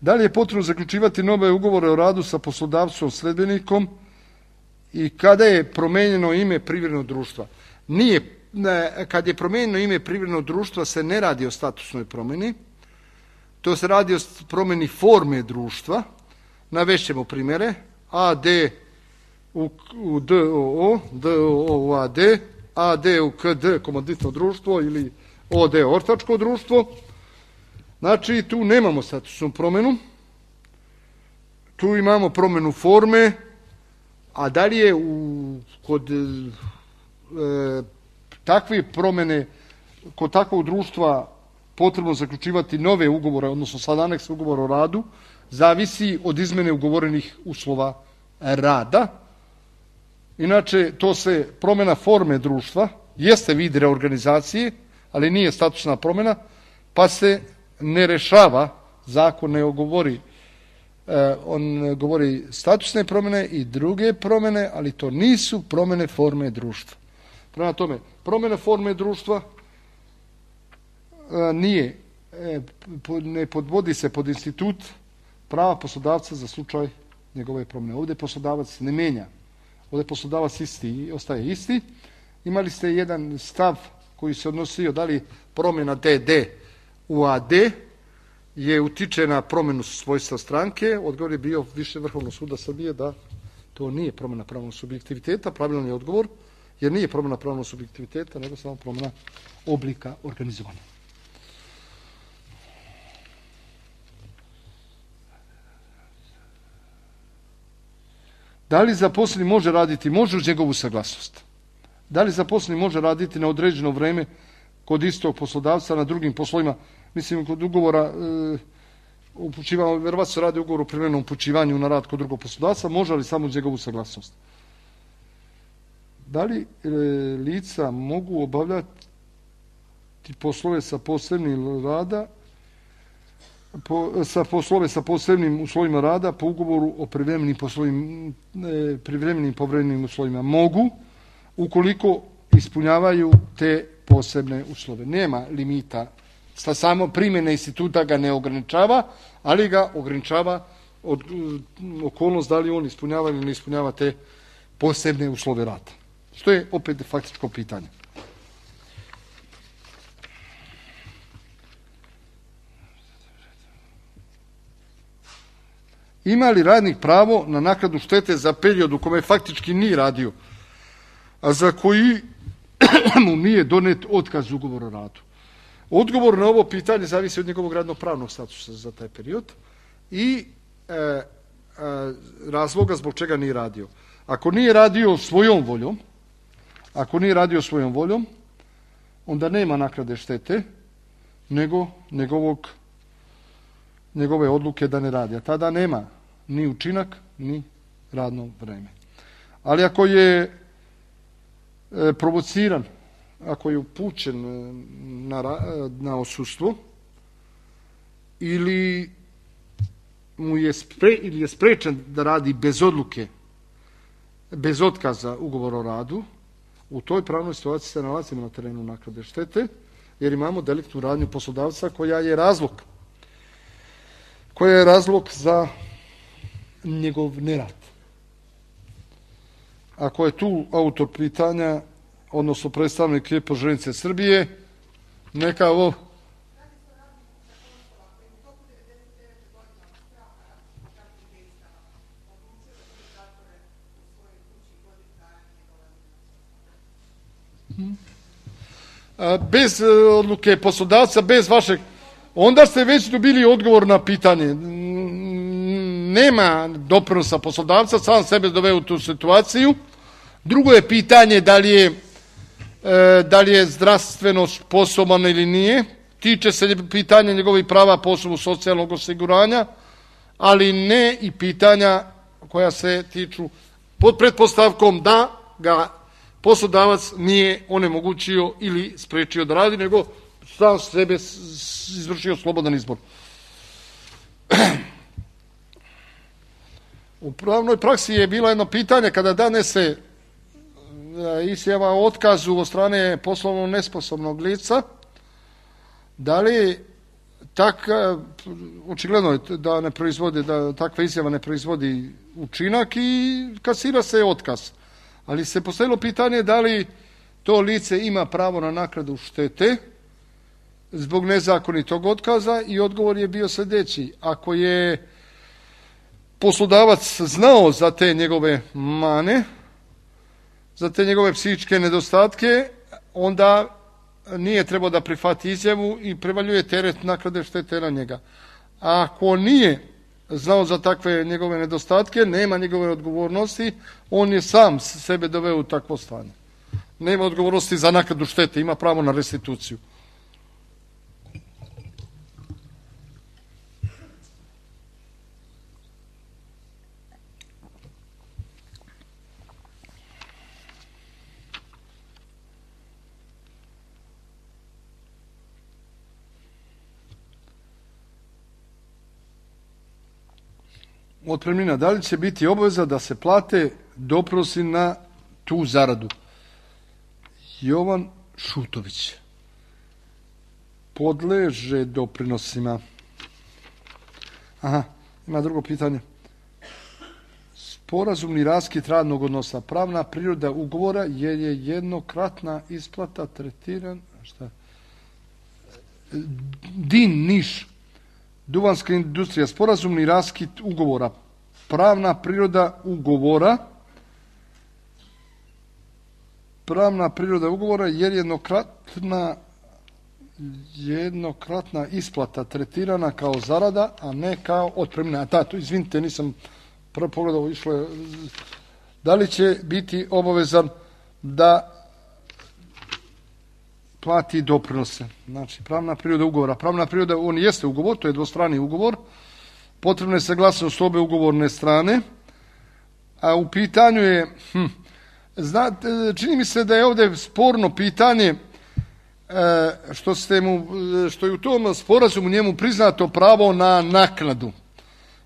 [SPEAKER 2] Da li je potrebno zaključivati nove ugovore o radu sa poslodavcom sledbenikom i kada je promijenjeno ime privrednog društva? Kad je promijenjeno ime privrednog društva se ne radi o statusnoj promjeni, to se radi o promjeni forme društva. Navešćemo primjere. AD u DOO, DOO u AD, AD u KD, komanditno društvo, ili OD, ortačko društvo. Znači, tu nemamo statusnu promjenu, tu imamo promjenu forme, a da li je kod takve promjene, kod takvog društva potrebno zaključivati nove ugovore, odnosno sad aneks ugovora o radu, zavisi od izmene ugovorenih uslova rada. Inače, to se promjena forme društva, jeste vid reorganizacije, ali nije statusna promjena, pa se ne rešava, zakon ne govori, on govori statusne promjene i druge promjene, ali to nisu promjene forme društva. Prema tome, promjena forme društva ne podvodi se pod institut prava poslodavca za slučaj njegove promjene. Ovdje poslodavac ne menja. Ovdje poslodavac ostaje isti. Imali ste jedan stav koji se odnosio da li promjena DD u AD je utiče na promjenu svojstva stranke. Odgovor je bio Više Vrhovnog suda Srbije da to nije promjena pravnog subjektiviteta. Pravilan je odgovor, jer nije promjena pravnog subjektiviteta, nego samo promjena oblika organizovanja. Da li zaposleni može raditi? Može uz njegovu saglasnost. Da li zaposleni može raditi na određeno vreme kod istog poslodavca na drugim poslovima? Mislim, kod ugovora upućivanja, verovatno se radi ugovor o privremenom upućivanju na rad kod drugog poslodavca, može li samo uz njegovu saglasnost? Da li lica mogu obavljati poslove sa posebnim rada, sa posebnim uslovima rada po ugovoru o privremenim povremenim uslovima? Mogu, ukoliko ispunjavaju te posebne uslove. Nema limita. Samo primjena instituta ga ne ograničava, ali ga ograničava okolnost da li on ispunjava ili ne ispunjava te posebne uslove rada. Što je opet faktičko pitanje. Ima li radnik pravo na naknadu štete za period u kome faktički nije radio, a za koji mu nije donet otkaz ugovora o radu? Odgovor na ovo pitanje zavisi od njegovog radno-pravnog statusa za taj period i razloga zbog čega nije radio. Ako nije radio svojom voljom, onda nema naknade štete, nego njegove odluke da ne radi. A tada nema ni učinak, ni radno vreme. Ali ako je provociran, ako je upućen na odsustvo ili je sprečen da radi bez odluke, bez otkaza ugovora o radu, u toj pravnoj situaciji se nalazimo na terenu naknade štete, jer imamo deliktnu radnju poslodavca koja je razlog za njegov nerad. Ako je tu autor pitanja, odnosno predstavnik Željeznice Srbije, neka ovo... Bez odluke poslodavca, bez vašeg, onda ste već dobili odgovor na pitanje. Nema doprinosa poslodavca, sam sebe doveo u tu situaciju. Drugo je pitanje da li je zdravstveno sposoban ili nije. Tiče se pitanja njegovih prava po osnovu socijalnog osiguranja, ali ne i pitanja koja se tiču pod pretpostavkom da ga poslodavac nije onemogućio ili sprečio da radi, nego sam sebe izvršio slobodan izbor. U pravnoj praksi je bilo jedno pitanje kada danese izjava o otkazu od strane poslovno nesposobnog lica, da li očigledno je da ne proizvodi, da takva izjava ne proizvodi učinak i kasira se otkaz. Ali se postavilo pitanje da li to lice ima pravo na naknadu štete zbog nezakonitog otkaza i odgovor je bio sljedeći. Ako je poslodavac znao za te njegove mane, za te njegove psihičke nedostatke, onda nije trebao da prihvati izjavu i prevaljuje teret naknade štete na njega. A ako nije znao za takve njegove nedostatke, nema njegove odgovornosti, on je sam sebe doveo u takvo stanje. Nema odgovornosti za naknadu štete, ima pravo na restituciju. Otpremnina, da li će biti obaveza da se plate doprinosi na tu zaradu? Jovan Šutović. Podleže doprinosima. Aha, ima drugo pitanje. Sporazumni raskid radnog odnosa. Pravna priroda ugovora je jednokratna isplata tretiran... Šta? DIN Niš. Duvanska industrija, sporazumni raskid ugovora. Pravna priroda ugovora jer jednokratna isplata tretirana kao zarada, a ne kao otpremnina. Izvinite, nisam prvo pogledao, išlo je. Da li će biti obavezan da plati doprinose? Znači, pravna priroda ugovora. Pravna priroda, on jeste ugovor, to je dvostrani ugovor. Potrebna je saglasnost obe ugovorne strane. A u pitanju je, čini mi se da je ovdje sporno pitanje što je u tom sporazumu njemu priznato pravo na naknadu.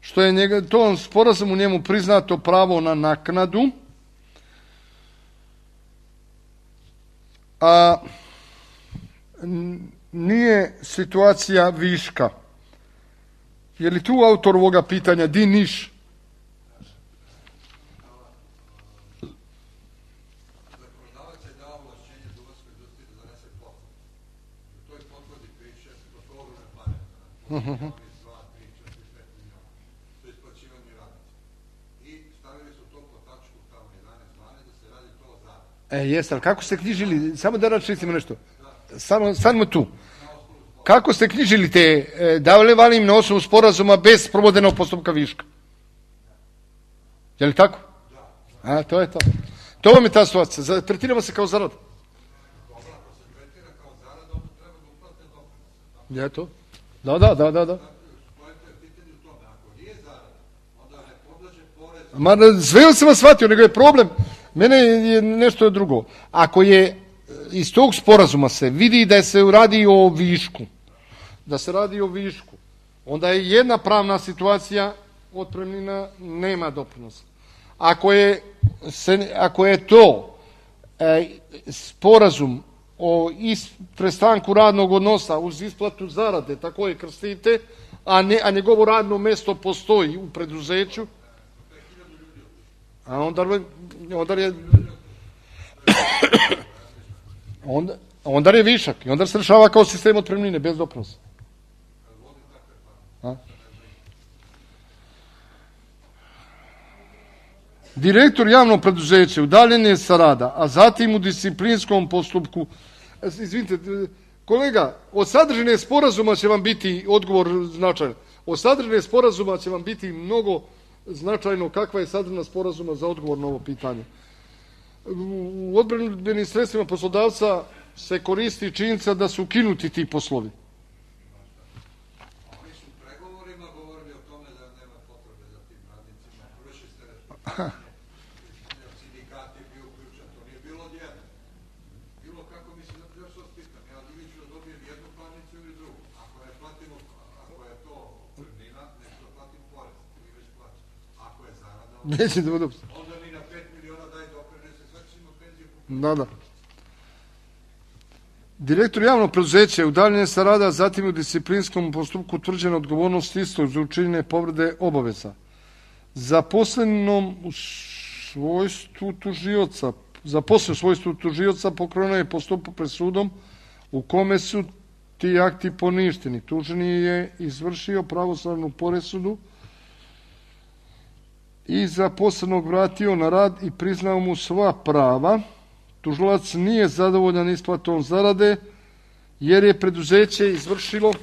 [SPEAKER 2] Što je tom sporazumu njemu priznato pravo na naknadu, a nije situacija viška. Je li tu autor ovoga pitanja DIN Niš?
[SPEAKER 4] Zakonodavac je dao ovlašćenje duvanskoj industriji da donese kvotu. U toj potvodi piše, to su ogromne pare. 2, 3, 4, 5 miliona. To je isplaćivanje radnika. I stavili su to po tačku tamo 11, 12 da se radi to o zaradi.
[SPEAKER 2] Jeste, ali kako ste knjižili, samo da račistimo nešto. Samo tu. Kako ste knjižili te, davali im na osnovu sporazuma bez provodenog postupka viška? Je li tako? Da. A, to je to. To vam je ta situacija. Tretiramo se kao zarada.
[SPEAKER 4] Dobro, ako se tretira kao
[SPEAKER 2] Je to? Da. Sve sam vas shvatio, nego je problem. Mene je nešto drugo. Ako je iz tog sporazuma se vidi da se radi o višku, onda je jedna pravna situacija, otpremnina nema doprinosa. Ako je to sporazum o prestanku radnog odnosa uz isplatu zarade, tako je krstite, a njegovo radno mesto postoji u preduzeću, a onda je višak i onda se rešava kao sistem otpremnine bez doprinosa. Direktor javnog preduzeća udaljen je sa rada, a zatim u disciplinskom postupku. Izvinite, kolega, od sadržine sporazuma će vam biti odgovor značajan. Od sadržine sporazuma će vam biti mnogo značajno kakva je sadržina sporazuma za odgovor na ovo pitanje. U odbrambenim sredstvima poslodavca se koristi činjenica da su ukinuti ti poslovi.
[SPEAKER 4] Oni su u pregovorima govorili o tome da nema potrebe za tim radnicima. Vrši ste respektivanje. Sindikat je bio uključen. To nije bilo odjedno. Bilo kako mislim da još vas pitam. Ja ili ću da dobijem jednu parnicu ili drugu. Ako je platimo, ako je to otpremnina, neću da platim porez. Ili već plaćam. Ako je zarada, onda mi na 5 miliona daj doprinose, sve ćemo penziju kupiti.
[SPEAKER 2] Da. Direktor javnog preduzeća je udaljen sa rada, zatim u disciplinskom postupku utvrđena odgovornost istog za učinjene povrede obaveza. Zaposlenom u svojstvu tužioca pokrenuo je postupak pred sudom u kome su ti akti poništeni. Tuženi je izvršio pravosnažnu presudu i zaposlenog vratio na rad i priznao mu sva prava. Tužilac nije zadovoljan isplatom zarade jer je preduzeće izvršilo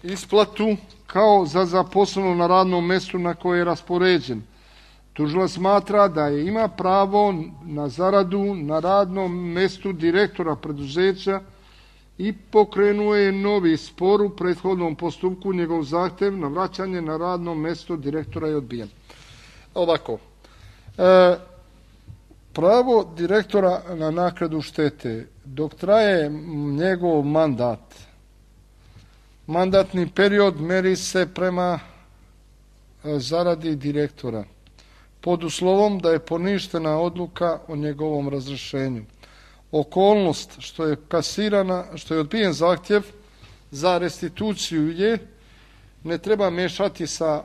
[SPEAKER 2] isplatu kao za zaposleno na radnom mestu na koje je raspoređen. Tužilac smatra da ima pravo na zaradu na radnom mestu direktora preduzeća i pokrenuo je novi spor u prethodnom postupku. Njegov zahtev na vraćanje na radno mesto direktora je odbijen. Ovako. Pravo direktora na naknadu štete, dok traje njegov mandatni period meri se prema zaradi direktora, pod uslovom da je poništena odluka o njegovom razrješenju. Okolnost što je odbijen zahtjev za restituciju ne treba mešati sa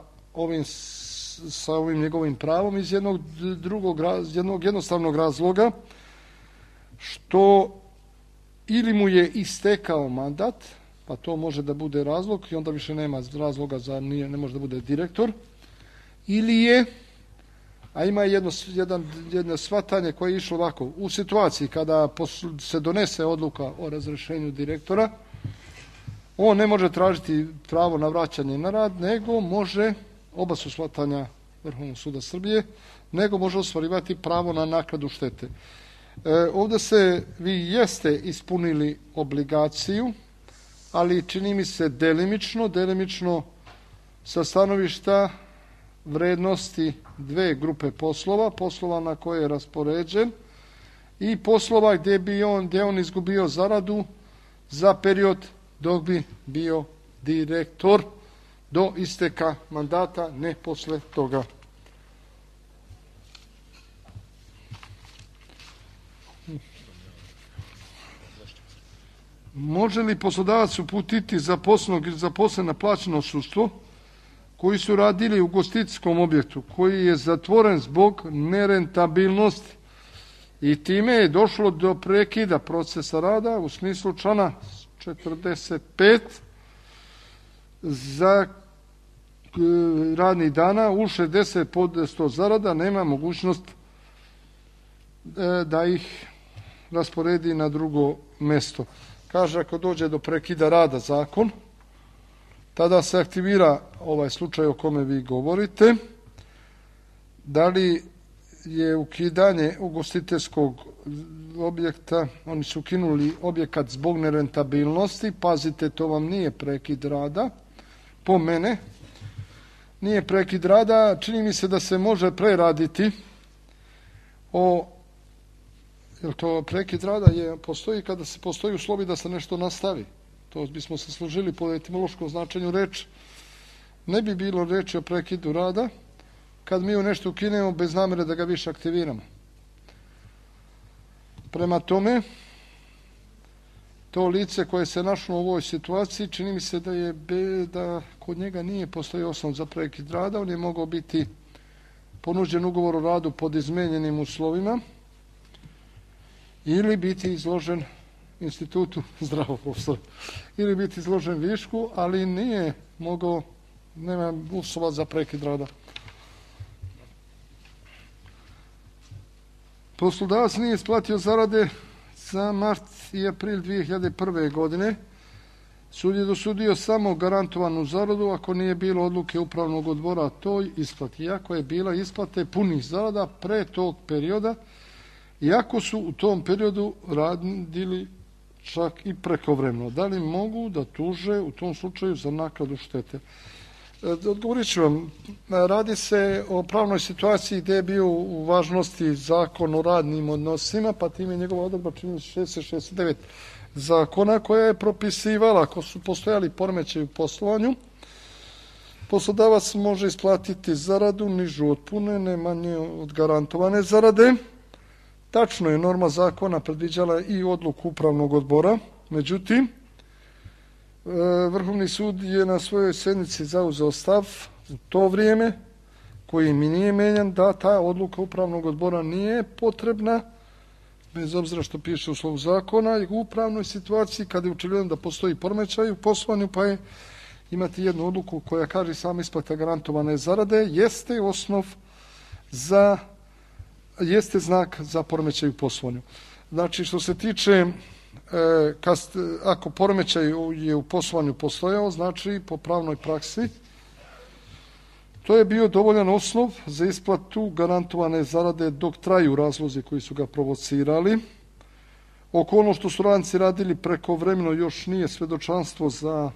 [SPEAKER 2] ovim njegovim pravom iz jednog jednostavnog razloga, što ili mu je istekao mandat, pa to može da bude razlog i onda više nema razloga ne može da bude direktor, ili je, a ima jedno shvatanje koje je išlo ovako, u situaciji kada se donese odluka o razrješenju direktora, on ne može tražiti pravo na vraćanje na rad, nego može, oba su shvatanja Vrhovnog suda Srbije, nego može ostvarivati pravo na naknadu štete. Ovdje vi jeste ispunili obligaciju, ali čini mi se delimično sa stanovišta vrednosti dve grupe poslova na koje je raspoređen i poslova gdje on izgubio zaradu za period dok bi bio direktor do isteka mandata, ne posle toga. Može li poslodavac uputiti zaposlenog ili zaposlena plaćeno odsustvo koji su radili u ugostiteljskom objektu, koji je zatvoren zbog nerentabilnosti i time je došlo do prekida procesa rada u smislu člana 45 za radnih dana u 60% zarada, nema mogućnost da ih rasporedi na drugo mesto. Kaže, ako dođe do prekida rada zakon, tada se aktivira ovaj slučaj o kome vi govorite. Da li je ukidanje ugostiteljskog objekta, oni su ukinuli objekat zbog nerentabilnosti, pazite, to vam nije prekid rada, po mene, nije prekid rada, čini mi se da se može preraditi jer to prekid rada postoji kada se postoji uslovi da se nešto nastavi. To bismo se služili po etimološkom značenju reči. Ne bi bilo reči o prekidu rada kad mi u nešto ukinemo bez namere da ga više aktiviramo. Prema tome, to lice koje se našlo u ovoj situaciji, čini mi se da kod njega nije postoji osnov za prekid rada, on je mogao biti ponuđen ugovor o radu pod izmenjenim uslovima ili biti izložen institutu, zdravo profesor, ili biti izložen višku, ali nije mogao, nema uslova za prekid rada. Poslodavac nije isplatio zarade za mart i april 2001. godine. Sud je dosudio samo garantovanu zaradu ako nije bilo odluke upravnog odbora o toj isplati. Iako je bila isplate punih zarada pre tog perioda, iako su u tom periodu radili čak i prekovremeno. Da li mogu da tuže u tom slučaju za naknadu štete? Odgovorit ću vam. Radi se o pravnoj situaciji gdje je bio u važnosti zakon o radnim odnosima, pa time je njegova odredba čini 669 zakona koja je propisivala ako su postojali poremećaji u poslovanju, poslodavac može isplatiti zaradu nižu od pune, ne manje od garantovane zarade. Tačno je, norma zakona predviđala i odluku upravnog odbora, međutim, Vrhovni sud je na svojoj sjednici zauzeo stav u to vrijeme, koji mi nije menjan, da ta odluka upravnog odbora nije potrebna, bez obzira što piše u slovu zakona, i u upravnoj situaciji kada je očigledno da postoji poremećaj u poslovanju, pa je imati jednu odluku koja kaže sama isplata garantovane zarade, jeste osnov jeste znak za poremećaj u poslovanju. Znači, što se tiče ako poremećaj je u poslovanju postojao, znači po pravnoj praksi, to je bio dovoljan osnov za isplatu garantovane zarade dok traju razlozi koji su ga provocirali. Okolnost što su radnici radili prekovremeno još nije svedočanstvo za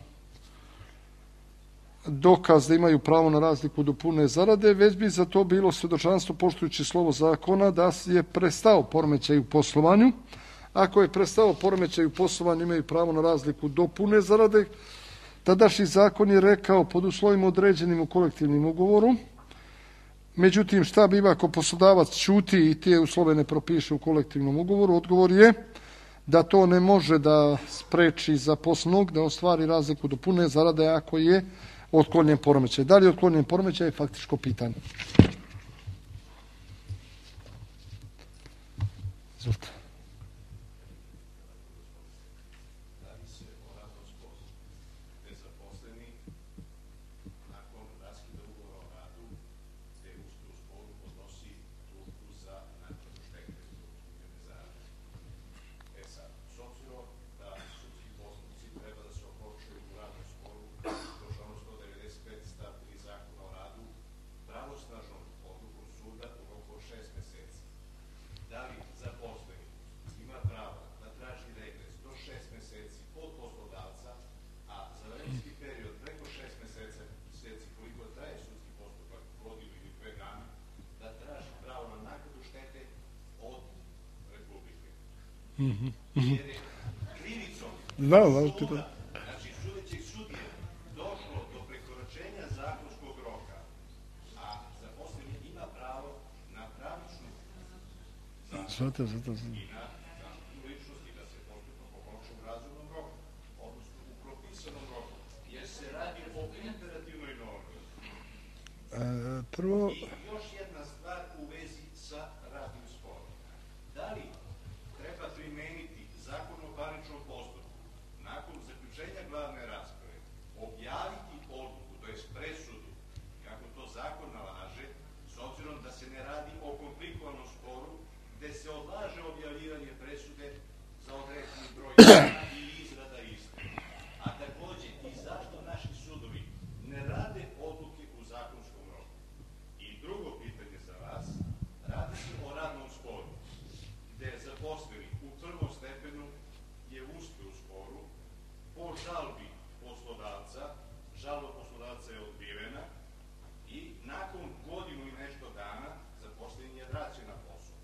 [SPEAKER 2] dokaz da imaju pravo na razliku do pune zarade, već bi za to bilo svedočanstvo poštujući slovo zakona da je prestao poremećaj u poslovanju. Ako je prestao poremećaj u poslovanju, imaju pravo na razliku do pune zarade. Tadašnji zakon je rekao pod uslovima određenim u kolektivnim ugovoru. Međutim, šta biva ako poslodavac ćuti i te uslove ne propiše u kolektivnom ugovoru? Odgovor je da to ne može da spreči zaposlenog da ostvari razliku do pune zarade ako je otklonjen poremećaj. Da li je otklonjen poremećaj je faktičko pitanje. Izvolite.
[SPEAKER 5] Znači, sudećeg sudije došlo do prekoračenja zakonskog roka, a zaposleni ima pravo na pravičnu zaštitu i na zaštitu ličnosti da se postupa po opštem razumnom roku, odnosno u propisanom roku, jer se radi o imperativnoj normi. I još jedna stvar u vezi sa radnim sporom. Da li treba primeniti Zakon o parničnom postupku nakon zaključenja glavne rasprave, objaviti odluku, to je presudu, kako to zakon nalaže, s obzirom da se ne radi o komplikovanom sporu, gde se odlaže objavljivanje presude za određeni broj dana i izrada iste. A takođe, i zašto naši sudovi ne rade odluke u zakonskom roku? I drugo pitanje, poslodavaca je otkrivena i nakon godinu i nešto dana zaposlen je vraćen na posao.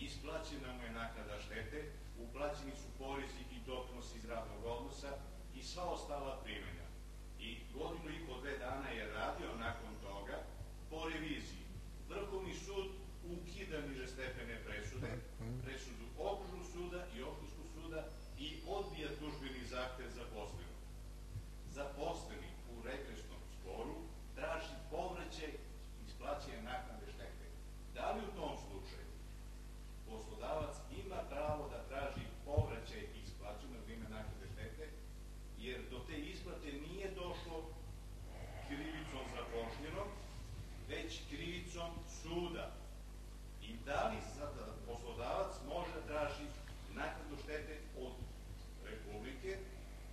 [SPEAKER 5] Isplaćena mu je naknada štete, uplaćeni su porezi i doprinosi iz radnog odnosa i sva ostala primanja. I godinu i po 2 dana je radio nakon toga po reviziji. Vrhovni sud ukida nižestepene presude, presudu okružnog suda i opštinskog suda i odbija tužbeni zahtev zaposlenog. Zaposleni u regresnom sporu traži povraćaj isplaćene naknade štete. Da li u tom slučaju poslodavac ima pravo da traži povraćaj isplaćene od ime naknade štete, jer do te isplate nije došlo krivicom zapošljenog, već krivicom suda. I da li sada poslodavac može da traži naknadu štete od Republike,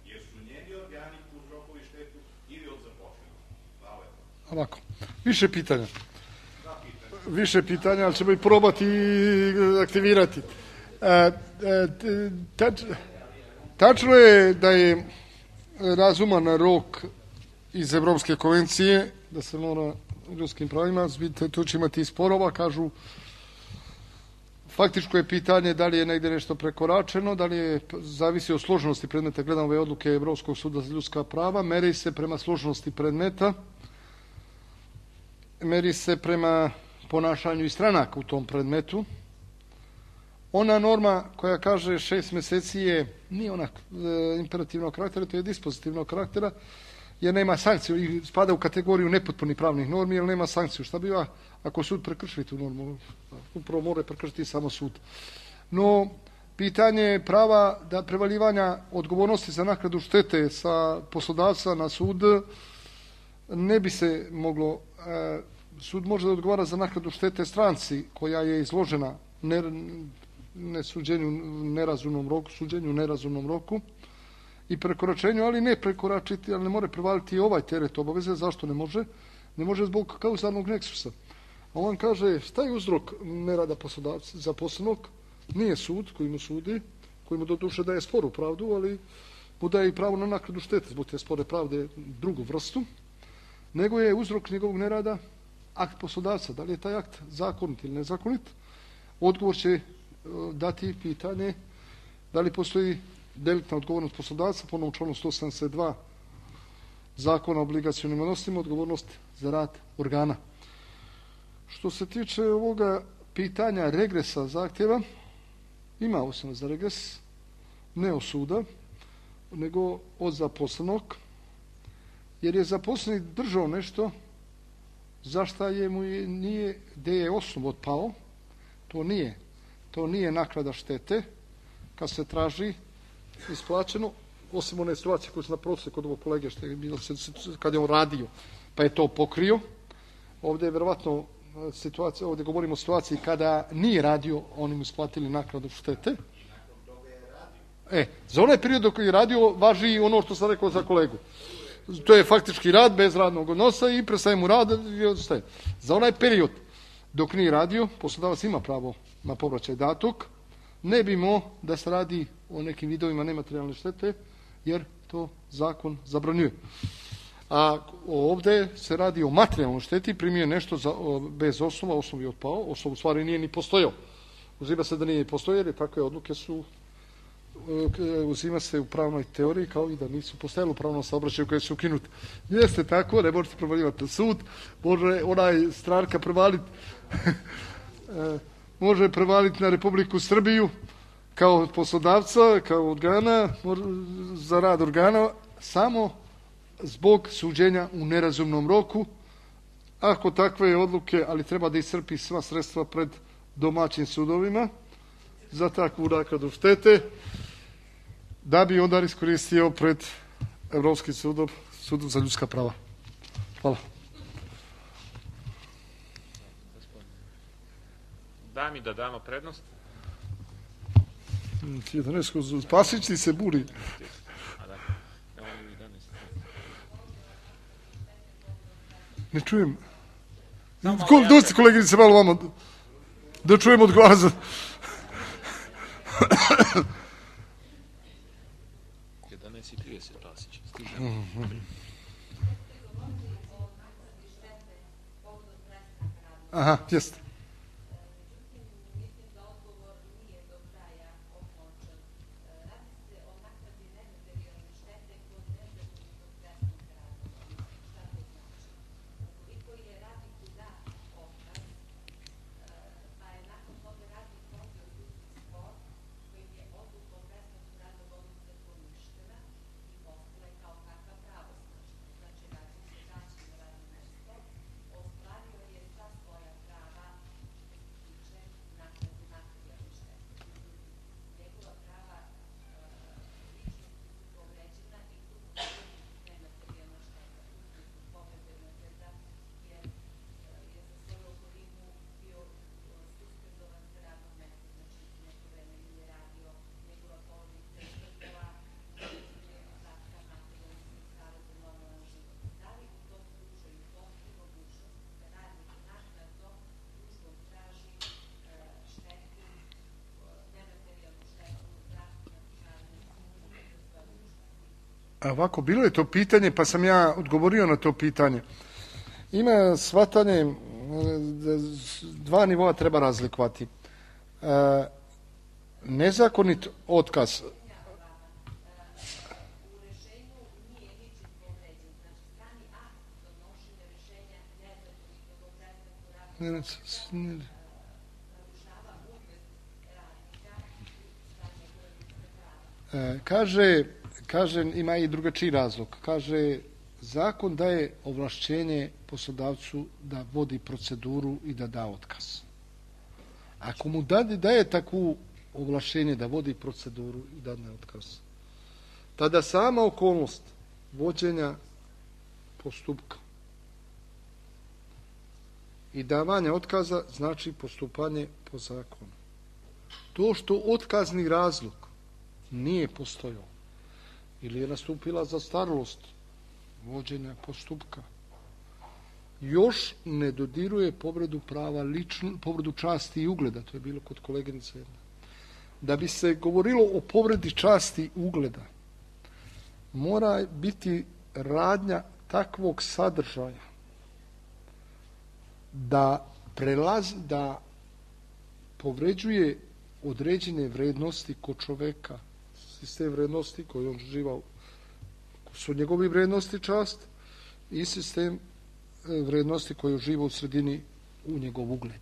[SPEAKER 5] jer su njeni organi uzrokovali štetu ili od zapošljenog? Hvala.
[SPEAKER 2] Ovako, više pitanja. Više pitanja, ali ćemo i probati aktivirati. Tačno je da je razuman rok iz Evropske konvencije, da se mora ljudskim pravima, vidite, tu će imati i sporova, kažu, faktičko je pitanje da li je negdje nešto prekoračeno, da li je, zavisi od složenosti predmeta, gledam ove odluke Evropskog suda za ljudska prava, meri se prema složenosti predmeta, meri se prema ponašanju i stranaka u tom predmetu. Ona norma koja kaže 6 mjeseci nije ona imperativnog karaktera, to je dispozitivnog karaktera, jer nema sankciju i spada u kategoriju nepotpunih pravnih normi, jer nema sankciju. Šta biva ako sud prekrši tu normu? Upravo mora prekršiti samo sud. No, pitanje je prava da prevaljivanja odgovornosti za naknadu štete sa poslodavca na sud ne bi se moglo. Sud može da odgovara za naknadu štete stranci koja je izložena suđenju u nerazumnom roku i prekoračenju, ali ne prekoračiti, ali ne more prevaliti i ovaj teret obaveze. Zašto ne može? Ne može zbog kauzalnog neksusa. A on kaže, šta je uzrok nerada poslodavca zaposlenog? Nije sud koji mu sudi, koji mu doduše daje sporu pravdu, ali mu daje i pravo na naknadu štete zbog te spore pravde drugu vrstu, nego je uzrok njegovog nerada akt poslodavca. Da li je taj akt zakonit ili nezakonit? Odgovor će dati pitanje da li postoji deliktna odgovornost poslodavca, po novom članu 172 Zakona o obligacionim odnosima, odgovornost za rad organa. Što se tiče ovoga pitanja regresa zahtjeva, ima osnova za regres, ne od suda, nego od zaposlenog, jer je zaposleni držao nešto za šta nije, gdje je osnov otpao, to nije naknada štete, kad se traži isplaćeno, osim one situacije koje su na prosjeku kod ovog kolege, što je bilo kad je on radio, pa je to pokrio. Ovdje je vjerovatno situacija, ovdje govorimo o situaciji kada nije radio, oni mu isplatili naknadu štete. Za onaj period dok je radio važi ono što sam rekao za kolegu. To je faktički rad bez radnog odnosa i prestaje mu rad i ostaje. Za onaj period dok nije radio, poslodavac ima pravo na povraćaj datog, ne bi mo da se radi o nekim vidovima nematerijalne štete, jer to zakon zabranjuje. A ovdje se radi o materijalnoj šteti, primio nešto bez osnova, osnov je otpao, osnov u stvari nije ni postojao. Uzima se da nije postojao, jer takve odluke su uzima se u pravnoj teoriji kao i da nisu postojali u pravnom saobraćaju koje su ukinuti. Jeste tako, ne možete prevaljivati na sud, može onaj stranka prevaliti može prevaliti na Republiku Srbiju kao poslodavca, kao organa, za rad organa, samo zbog suđenja u nerazumnom roku. Ako takve odluke, ali treba da iscrpi sva sredstva pred domaćim sudovima za takvu naknadu štete, da bi onda iskoristio pred Evropskim sudom za ljudska prava. Hvala.
[SPEAKER 1] Da mi da damo prednost.
[SPEAKER 2] Spasić ti se buri. Ne čujem. Dosti koleginice malo vamo. Da čujem od glasa.
[SPEAKER 1] 11:30 Spasić.
[SPEAKER 2] Aha, jeste. Ovako, bilo je to pitanje, pa sam ja odgovorio na to pitanje. Ima shvatanje, dva nivoa treba razlikovati. Nezakonit otkaz. Kaže, ima i drugačiji razlog. Kaže, zakon daje ovlašćenje poslodavcu da vodi proceduru i da da otkaz. Ako mu daje takvu ovlašćenje da vodi proceduru i da da otkaz, tada sama okolnost vođenja postupka i davanja otkaza znači postupanje po zakonu. To što otkazni razlog nije postojao ili je nastupila zastarelost vođenja postupka, još ne dodiruje povredu prava povredu časti i ugleda. To je bilo kod koleginice jedna. Da bi se govorilo o povredi časti i ugleda, mora biti radnja takvog sadržaja da povređuje određene vrednosti kod čoveka, sistem vrednosti koji on živao, su njegovi vrednosti čast i sistem vrednosti koji uživa u sredini u njegov ugled.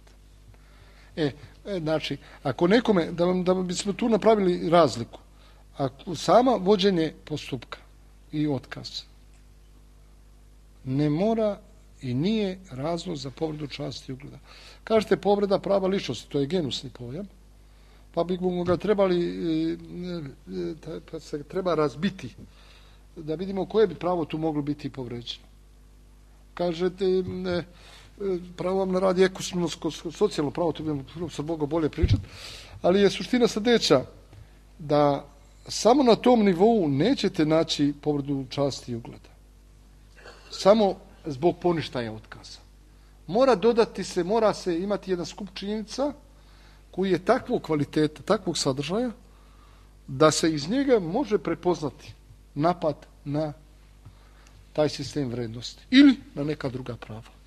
[SPEAKER 2] Znači, ako nekome, da bismo tu napravili razliku, ako sama vođenje postupka i otkaz ne mora i nije razlog za povredu časti i ugleda. Kažete povreda prava ličnosti, to je genusni pojam, pa bi ga treba razbiti da vidimo koje bi pravo tu moglo biti povređeno. Kažete, pravo vam na rad je ekonomsko, socijalno pravo, to bi se moglo bolje pričati, ali je suština sljedeća, da samo na tom nivou nećete naći povredu časti i ugleda. Samo zbog poništaja otkaza. Mora se imati jedan skup činjenica koji je takvog kvaliteta, takvog sadržaja, da se iz njega može prepoznati napad na taj sistem vrednosti ili na neka druga prava.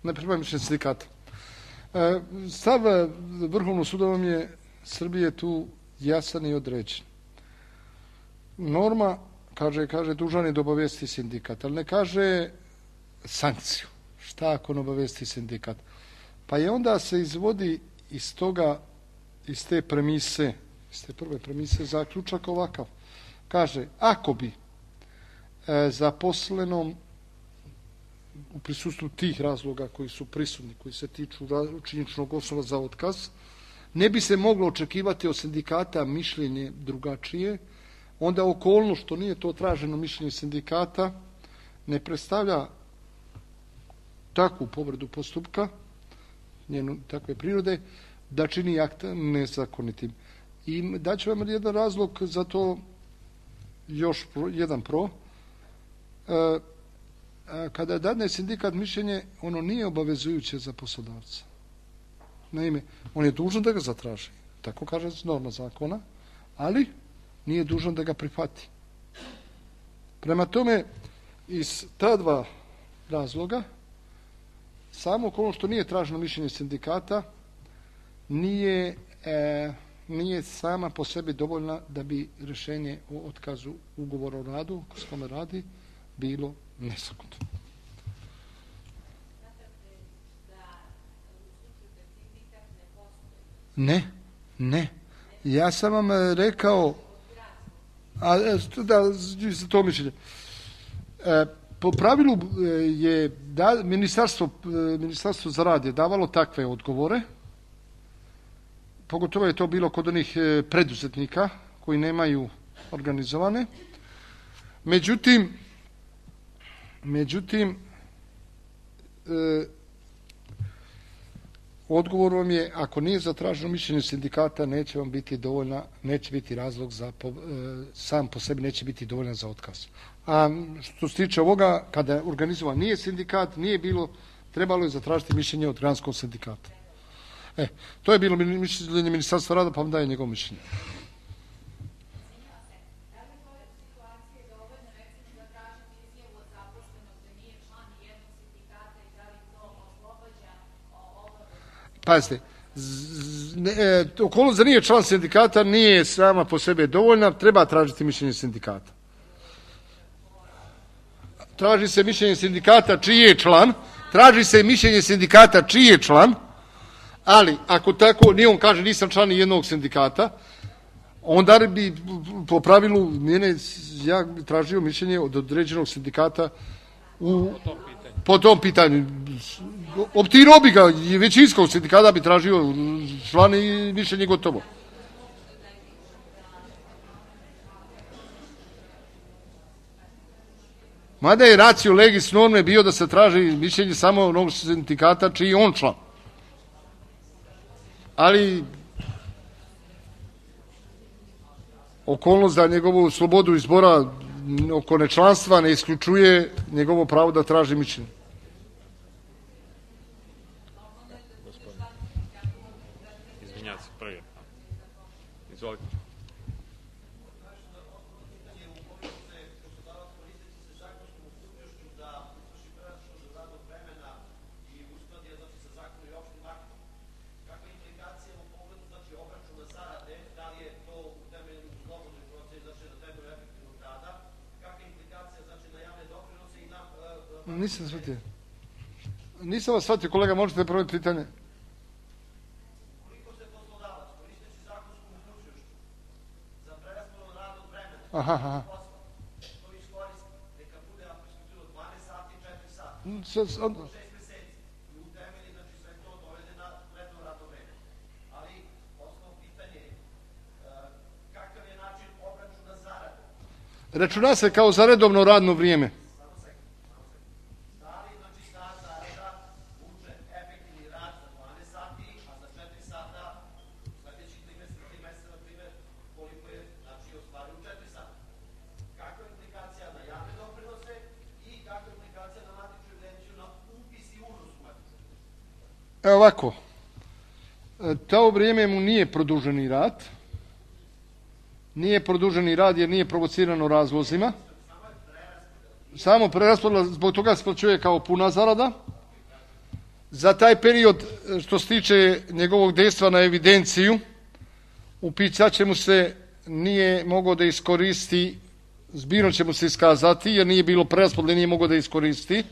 [SPEAKER 2] Ne pripremam mišljenje sindikata. Stav Vrhovnog suda vam je Srbije tu jasan i određen. Norma kaže dužan je da obavijesti sindikat, ali ne kaže sankciju. Šta ako ne obavijesti sindikat? Pa je onda se izvodi iz toga, iz te prve premise zaključak ovakav. Kaže, ako bi zaposlenom u prisustvu tih razloga koji su prisutni, koji se tiču činjeničnog osnova za otkaz, ne bi se moglo očekivati od sindikata mišljenje drugačije, onda okolnost što nije to traženo mišljenje sindikata ne predstavlja takvu povredu postupka, njenu takve prirode, da čini akt nezakonitim. I daću vam jedan razlog za to, još jedan pro. Kada dadne sindikat mišljenje, ono nije obavezujuće za poslodavca. Naime, on je dužan da ga zatraži, tako kaže norma zakona, ali nije dužan da ga prihvati. Prema tome, iz ta dva razloga, samo ono što nije traženo mišljenje sindikata nije sama po sebi dovoljna da bi rješenje o otkazu ugovora o radu, ko s kome radi, bilo nezakonito. Ne. Ja sam vam rekao, to mišljenje. Po pravilu je Ministarstvo za rad je davalo takve odgovore, pogotovo je to bilo kod onih preduzetnika koji nemaju organizovane. Međutim, odgovor vam je, ako nije zatraženo mišljenje sindikata, neće vam biti dovoljna, neće biti razlog za, sam po sebi neće biti dovoljan za otkaz. A što se tiče ovoga, kada je organizovan nije sindikat, nije bilo, trebalo je zatražiti mišljenje od granskog sindikata. To je bilo mišljenje Ministarstva rada, pa vam daje njegovo mišljenje. Pazite, okolnost da nije član sindikata nije sama po sebi dovoljna, treba tražiti mišljenje sindikata. Traži se mišljenje sindikata čiji je član, ali ako tako, nije on kaže nisam član ni jednog sindikata, onda bi po pravilu ja bi tražio mišljenje od određenog sindikata po tom pitanju. Optirao bi ga, većinskog sindikata bi tražio član i mišljenje gotovo. Mada je ratio legis norme bio da se traži mišljenje samo onog sindikata čiji je on član. Ali okolnost da njegovu slobodu izbora oko nečlanstva ne isključuje njegovo pravo da traži mišljenje.
[SPEAKER 1] Izvinjavam se, prvi. Izvolite.
[SPEAKER 2] Nisam shvatio. Nisam vas shvatio, kolega, možete provjeriti pitanje?
[SPEAKER 5] Koliko se poslodavac koristeći zakonsku mogućnošću za preraspodelu radnog vremena, to iskoristi, neka bude ako se bilo 12 sati, 4 sata, 6 meseci i u temelji, znači sve to dovede na redno radno vreme. Ali osnovno pitanje je kakav je način obračuna zarade?
[SPEAKER 2] Računa se kao za redovno radno vrijeme. Evo ovako, to vrijeme mu nije produženi rad. Nije produženi rad jer nije provocirano razlozima. Samo preraspodjela, zbog toga se plaćuje kao puna zarada. Za taj period što se tiče njegovog dejstva na evidenciju, upisat će mu se nije mogao da iskoristi, zbirno će mu se iskazati jer nije bilo preraspodjele, nije mogao da iskoristi.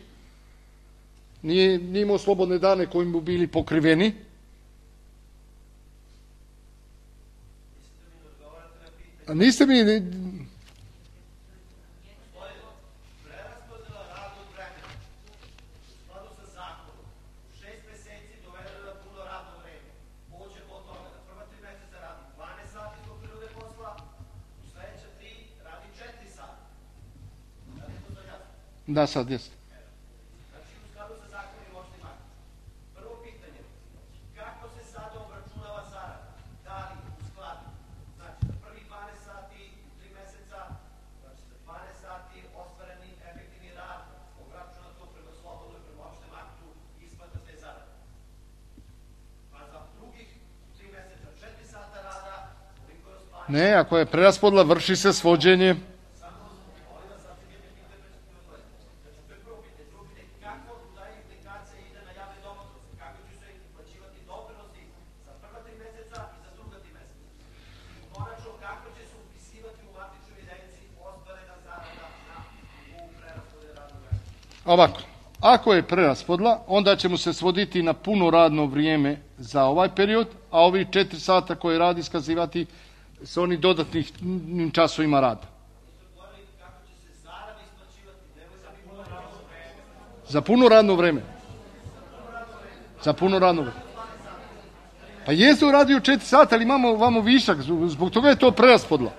[SPEAKER 2] nije imao slobodne dane koji mu bili pokriveni. A niste mi... Da, sad jeste.
[SPEAKER 5] Znači, u skladu sa zakonom opštim aktom. Prvo pitanje, kako se sada obračunava zarada? Da li u skladu? Znači, za prvih 12 sati u 3 meseca, znači za 12 sati ostvareni efektivni rad, obračunato prema slobodno i prema opštem aktu, isplata te zarade. Pa za drugih 3 meseca, 4 sata rada, koliko je ostvareno?
[SPEAKER 2] Ne, ako je preraspodela, vrši se svođenje. Ovako, ako je preraspodela, onda će mu se svoditi na puno radno vrijeme za ovaj period, a ovih 4 sata koje radi iskazivati s onih dodatnih časovima rada. Za puno radno vrijeme. Za puno radno vrijeme. Pa jeste uradio 4 sata, ali imamo vamo višak, zbog toga je to preraspodela.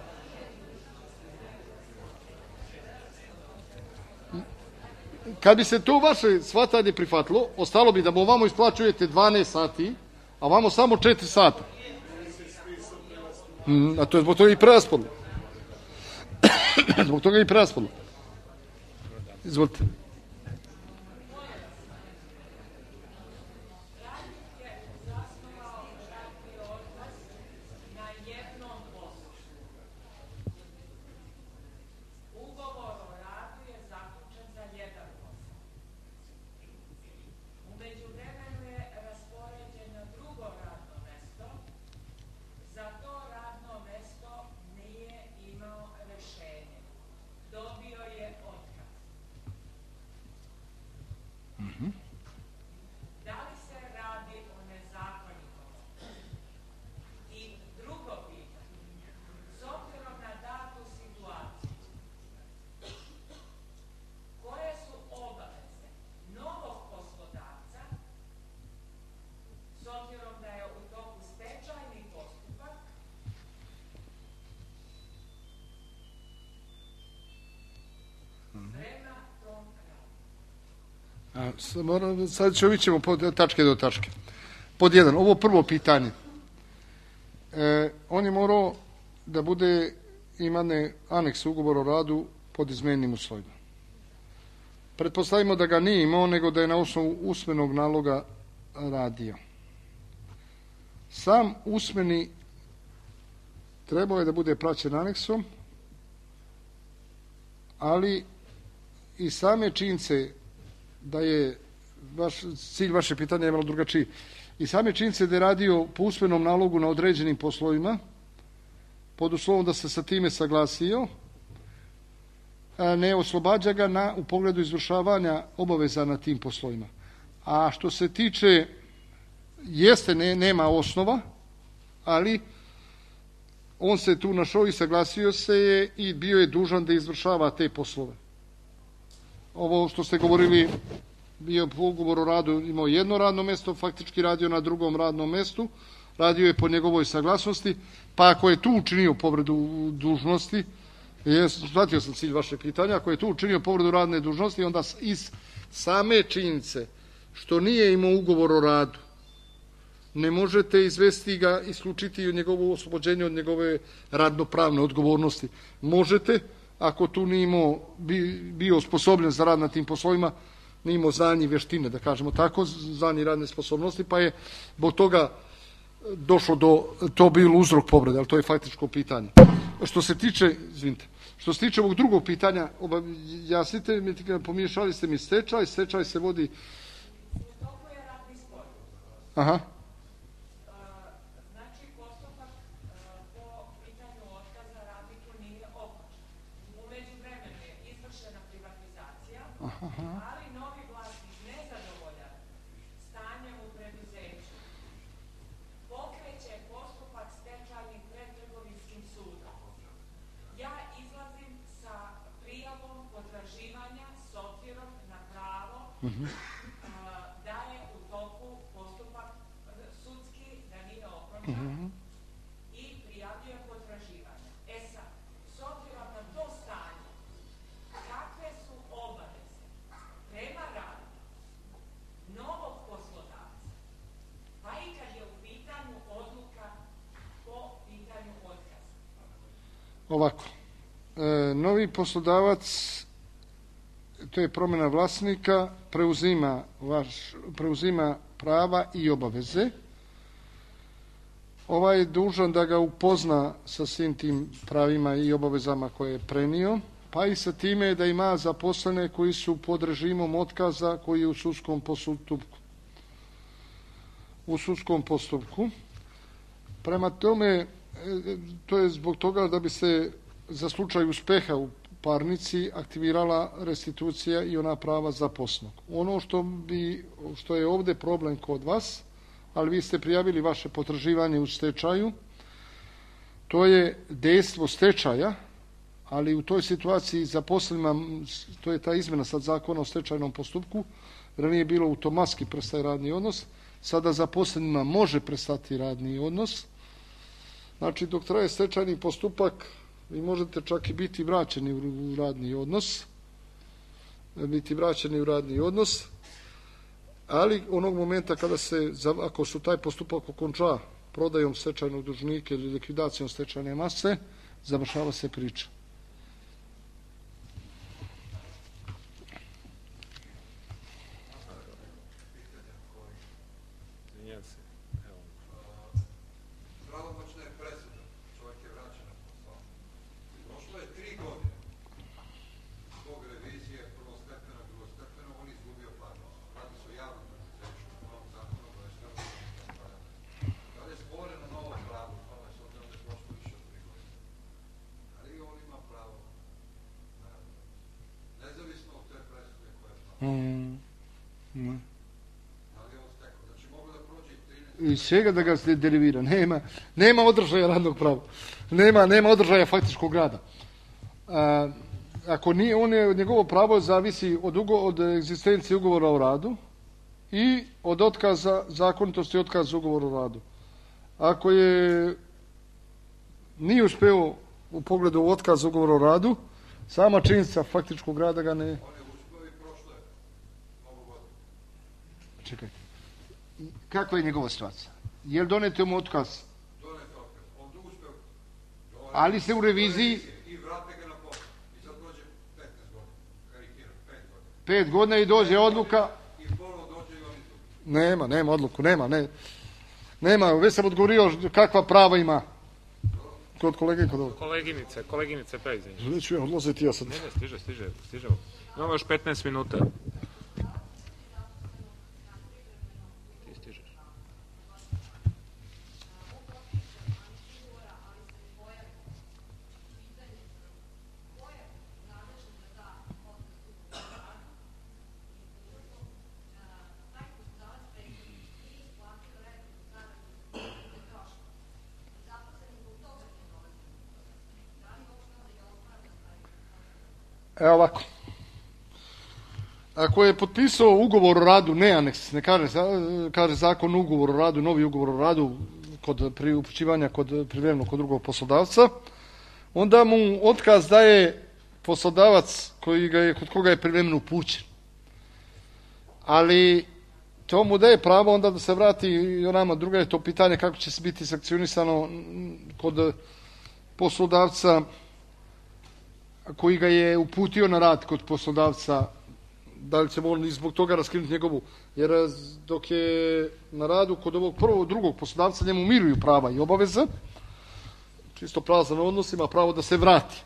[SPEAKER 2] Kad bi se to vaše shvatanje prihvatilo, ostalo bi da mu vamo isplaćujete 12 sati, a vamo samo 4 sata. A to je zbog toga i preraspodela. Zbog toga i preraspodela. Izvolite. Sad ćemo pod tačke do tačke. Pod 1, ovo prvo pitanje. On je morao da bude imane aneks ugovor o radu pod izmenjenim uslovima. Pretpostavimo da ga nije imao, nego da je na osnovu usmenog naloga radio. Sam usmeni trebao je da bude praćen aneksom, ali i same činjenice da je cilj vaše pitanja je malo drugačiji. I same činjenice da je radio po usmenom nalogu na određenim poslovima, pod uslovom da se sa time saglasio, ne oslobađa ga u pogledu izvršavanja obaveza na tim poslovima. A što se tiče, nema osnova, ali on se tu našao i saglasio se je i bio je dužan da izvršava te poslove. Ovo što ste govorili, bio po ugovoru o radu, imao jedno radno mjesto, faktički radio na drugom radnom mjestu, radio je po njegovoj saglasnosti, pa ako je tu učinio povredu dužnosti, shvatio sam cilj vaše pitanja, ako je tu učinio povredu radne dužnosti, onda iz same činjenice što nije imao ugovor o radu, ne možete izvesti ga, isključiti od njegovu oslobođenje od njegove radnopravne odgovornosti. Možete, ako tu nije imao, bio osposobljen za rad na tim poslovima, nije imao znanje i vještine, da kažemo tako, znanje i radne sposobnosti, pa je zbog toga došlo to bilo uzrok povrede, ali to je faktičko pitanje. Što se tiče ovog drugog pitanja, jasnite mi, pomiješali ste mi stečaj se vodi... Aha.
[SPEAKER 3] Znači, postupak po pitanju otkaza radniku nije okončan. U međuvremenu je izvršena privatizacija, ali novi vlasnik nezadovoljan da je u toku postupak sudski, da nije okončan i prijavljuje potraživanje. E sad, s obzirom na to stanje, kakve su obaveze prema radniku novog poslodavca, pa i kad je u pitanju odluka po pitanju otkaza?
[SPEAKER 2] Ovako, novi poslodavac, to je promjena vlasnika, preuzima prava i obaveze. Ovaj je dužan da ga upozna sa svim tim pravima i obavezama koje je prenio, pa i sa time da ima zaposlene koji su pod režimom otkaza koji je u sudskom postupku. Prema tome, to je zbog toga da bi se za slučaj uspeha u parnici aktivirala restitucija i ona prava zaposlenog. Ono što je ovdje problem kod vas, ali vi ste prijavili vaše potraživanje u stečaju, to je dejstvo stečaja, ali u toj situaciji zaposlenima, to je ta izmjena sad zakona o stečajnom postupku, ranije bilo automatski prestaje radni odnos, sada zaposlenima može prestati radni odnos. Znači, dok traje stečajni postupak, vi možete čak i biti vraćeni u radni odnos, ali onog momenta kada ako su taj postupak okonča prodajom stečajnog dužnika ili likvidacijom stečajne mase, završava se priča. Iz čega da ga se derivira? Nema održaja radnog prava. Nema održaja faktičkog rada. Ako nije, njegovo pravo zavisi od egzistencije ugovora o radu i od otkaza, zakonitosti otkaza ugovora o radu. Ako nije uspeo u pogledu otkaza ugovora o radu, sama činjenica faktičkog rada ga ne... Čekajte. Kakva je njegova situacija? Je li donete mu otkaz?
[SPEAKER 4] Donete otkaz. On uspeo.
[SPEAKER 2] Ali se u reviziji...
[SPEAKER 4] I vrate ga na posao. I sad dođe 15 godina. Karikiram, 5 godina.
[SPEAKER 2] 5 godina i dođe odluka...
[SPEAKER 4] I ponovo dođe i on izgubi.
[SPEAKER 2] Nema odluku, nema. Već sam odgovorio kakva prava ima. Kod kolege, kod ovog.
[SPEAKER 1] Koleginice, pređenje.
[SPEAKER 2] Neću ja odlaziti, ja sad...
[SPEAKER 1] Ne, stižemo. Imamo još 15 minuta.
[SPEAKER 2] Evo ovako. Ako je potpisao ugovor o radu, ne aneks, ne kaže zakon ugovor o radu, novi ugovor o radu kod upućivanja privremeno kod drugog poslodavca, onda mu otkaz daje poslodavac kod koga je privremeno upućen. Ali to mu daje pravo onda da se vrati i onama. Druga je to pitanje kako će se biti sankcionisano kod poslodavca koji ga je uputio na rad kod poslodavca, da li će on zbog toga raskinuti njegovu, jer dok je na radu kod ovog drugog poslodavca njemu miruju prava i obaveze, čisto prazan odnos, ima pravo da se vrati.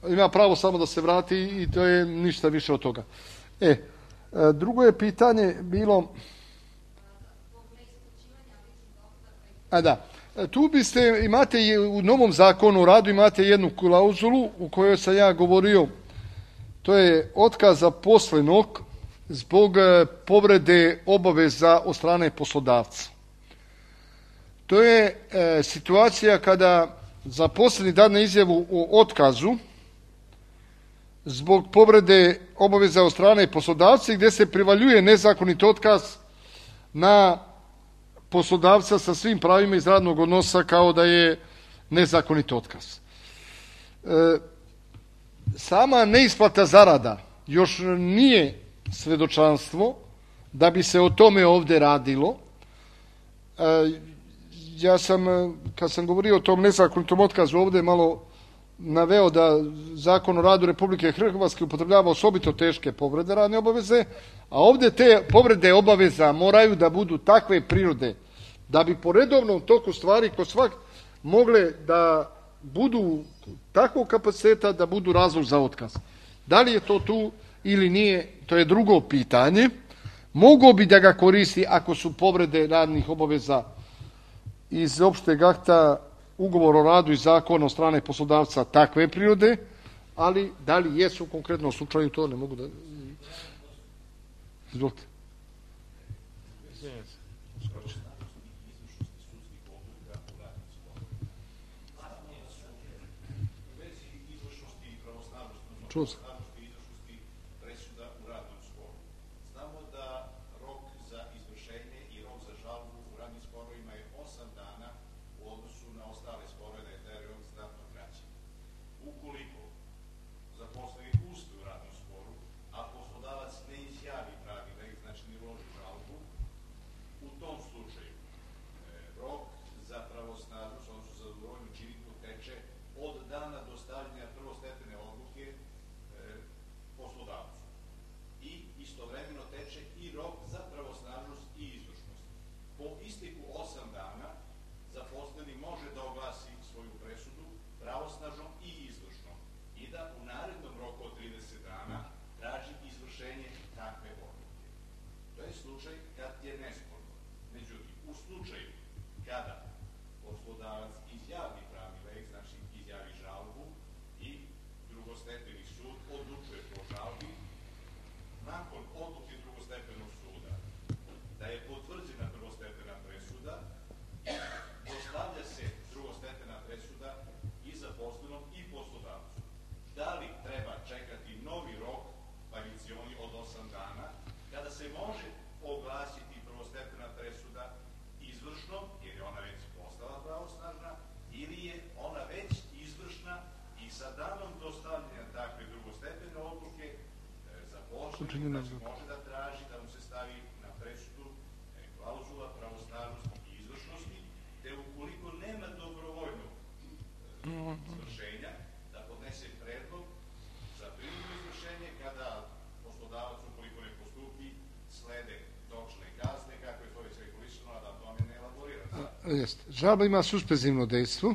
[SPEAKER 2] Ima pravo samo da se vrati i to je ništa više od toga. Drugo je pitanje bilo... Tu imate u novom zakonu o radu imate jednu klauzulu u kojoj sam ja govorio, to je otkaz zaposlenog zbog povrede obaveza od strane poslodavca. To je situacija kada zaposleni dadne izjavu o otkazu zbog povrede obaveza od strane poslodavca gdje se privaljuje nezakonit otkaz na poslodavca sa svim pravima iz radnog odnosa kao da je nezakonit otkaz. Sama neisplata zarada još nije svedočanstvo da bi se o tome ovdje radilo. Ja sam, kad sam govorio o tom nezakonitom otkazu, ovdje malo naveo da Zakon o radu Republike Hrvatske upotrebljava osobito teške povrede radne obaveze, a ovdje te povrede obaveza moraju da budu takve prirode da bi po redovnom toku stvari kod svak mogle da budu takvog kapaciteta da budu razlog za otkaz. Da li je to tu ili nije, to je drugo pitanje. Mogao bi da ga koristi ako su povrede radnih obaveza iz opšteg akta, ugovor o radu i zakon od strane poslodavca takve prirode, ali da li jesu u konkretnom slučaju, to ne mogu da... Izvolite. Čuo sam.
[SPEAKER 5] Može da traži da mu se stavi na presudu klauzula pravosnažnosti i izvršnosti, te ukoliko nema dobrovoljnog izvršenja, da podnese predlog za prinudno izvršenje kada poslodavac ukoliko ne postupi slede novčane kazne, kako je to već regulisano, a da tome ne elaborira.
[SPEAKER 2] Žalba ima suspenzivno dejstvo.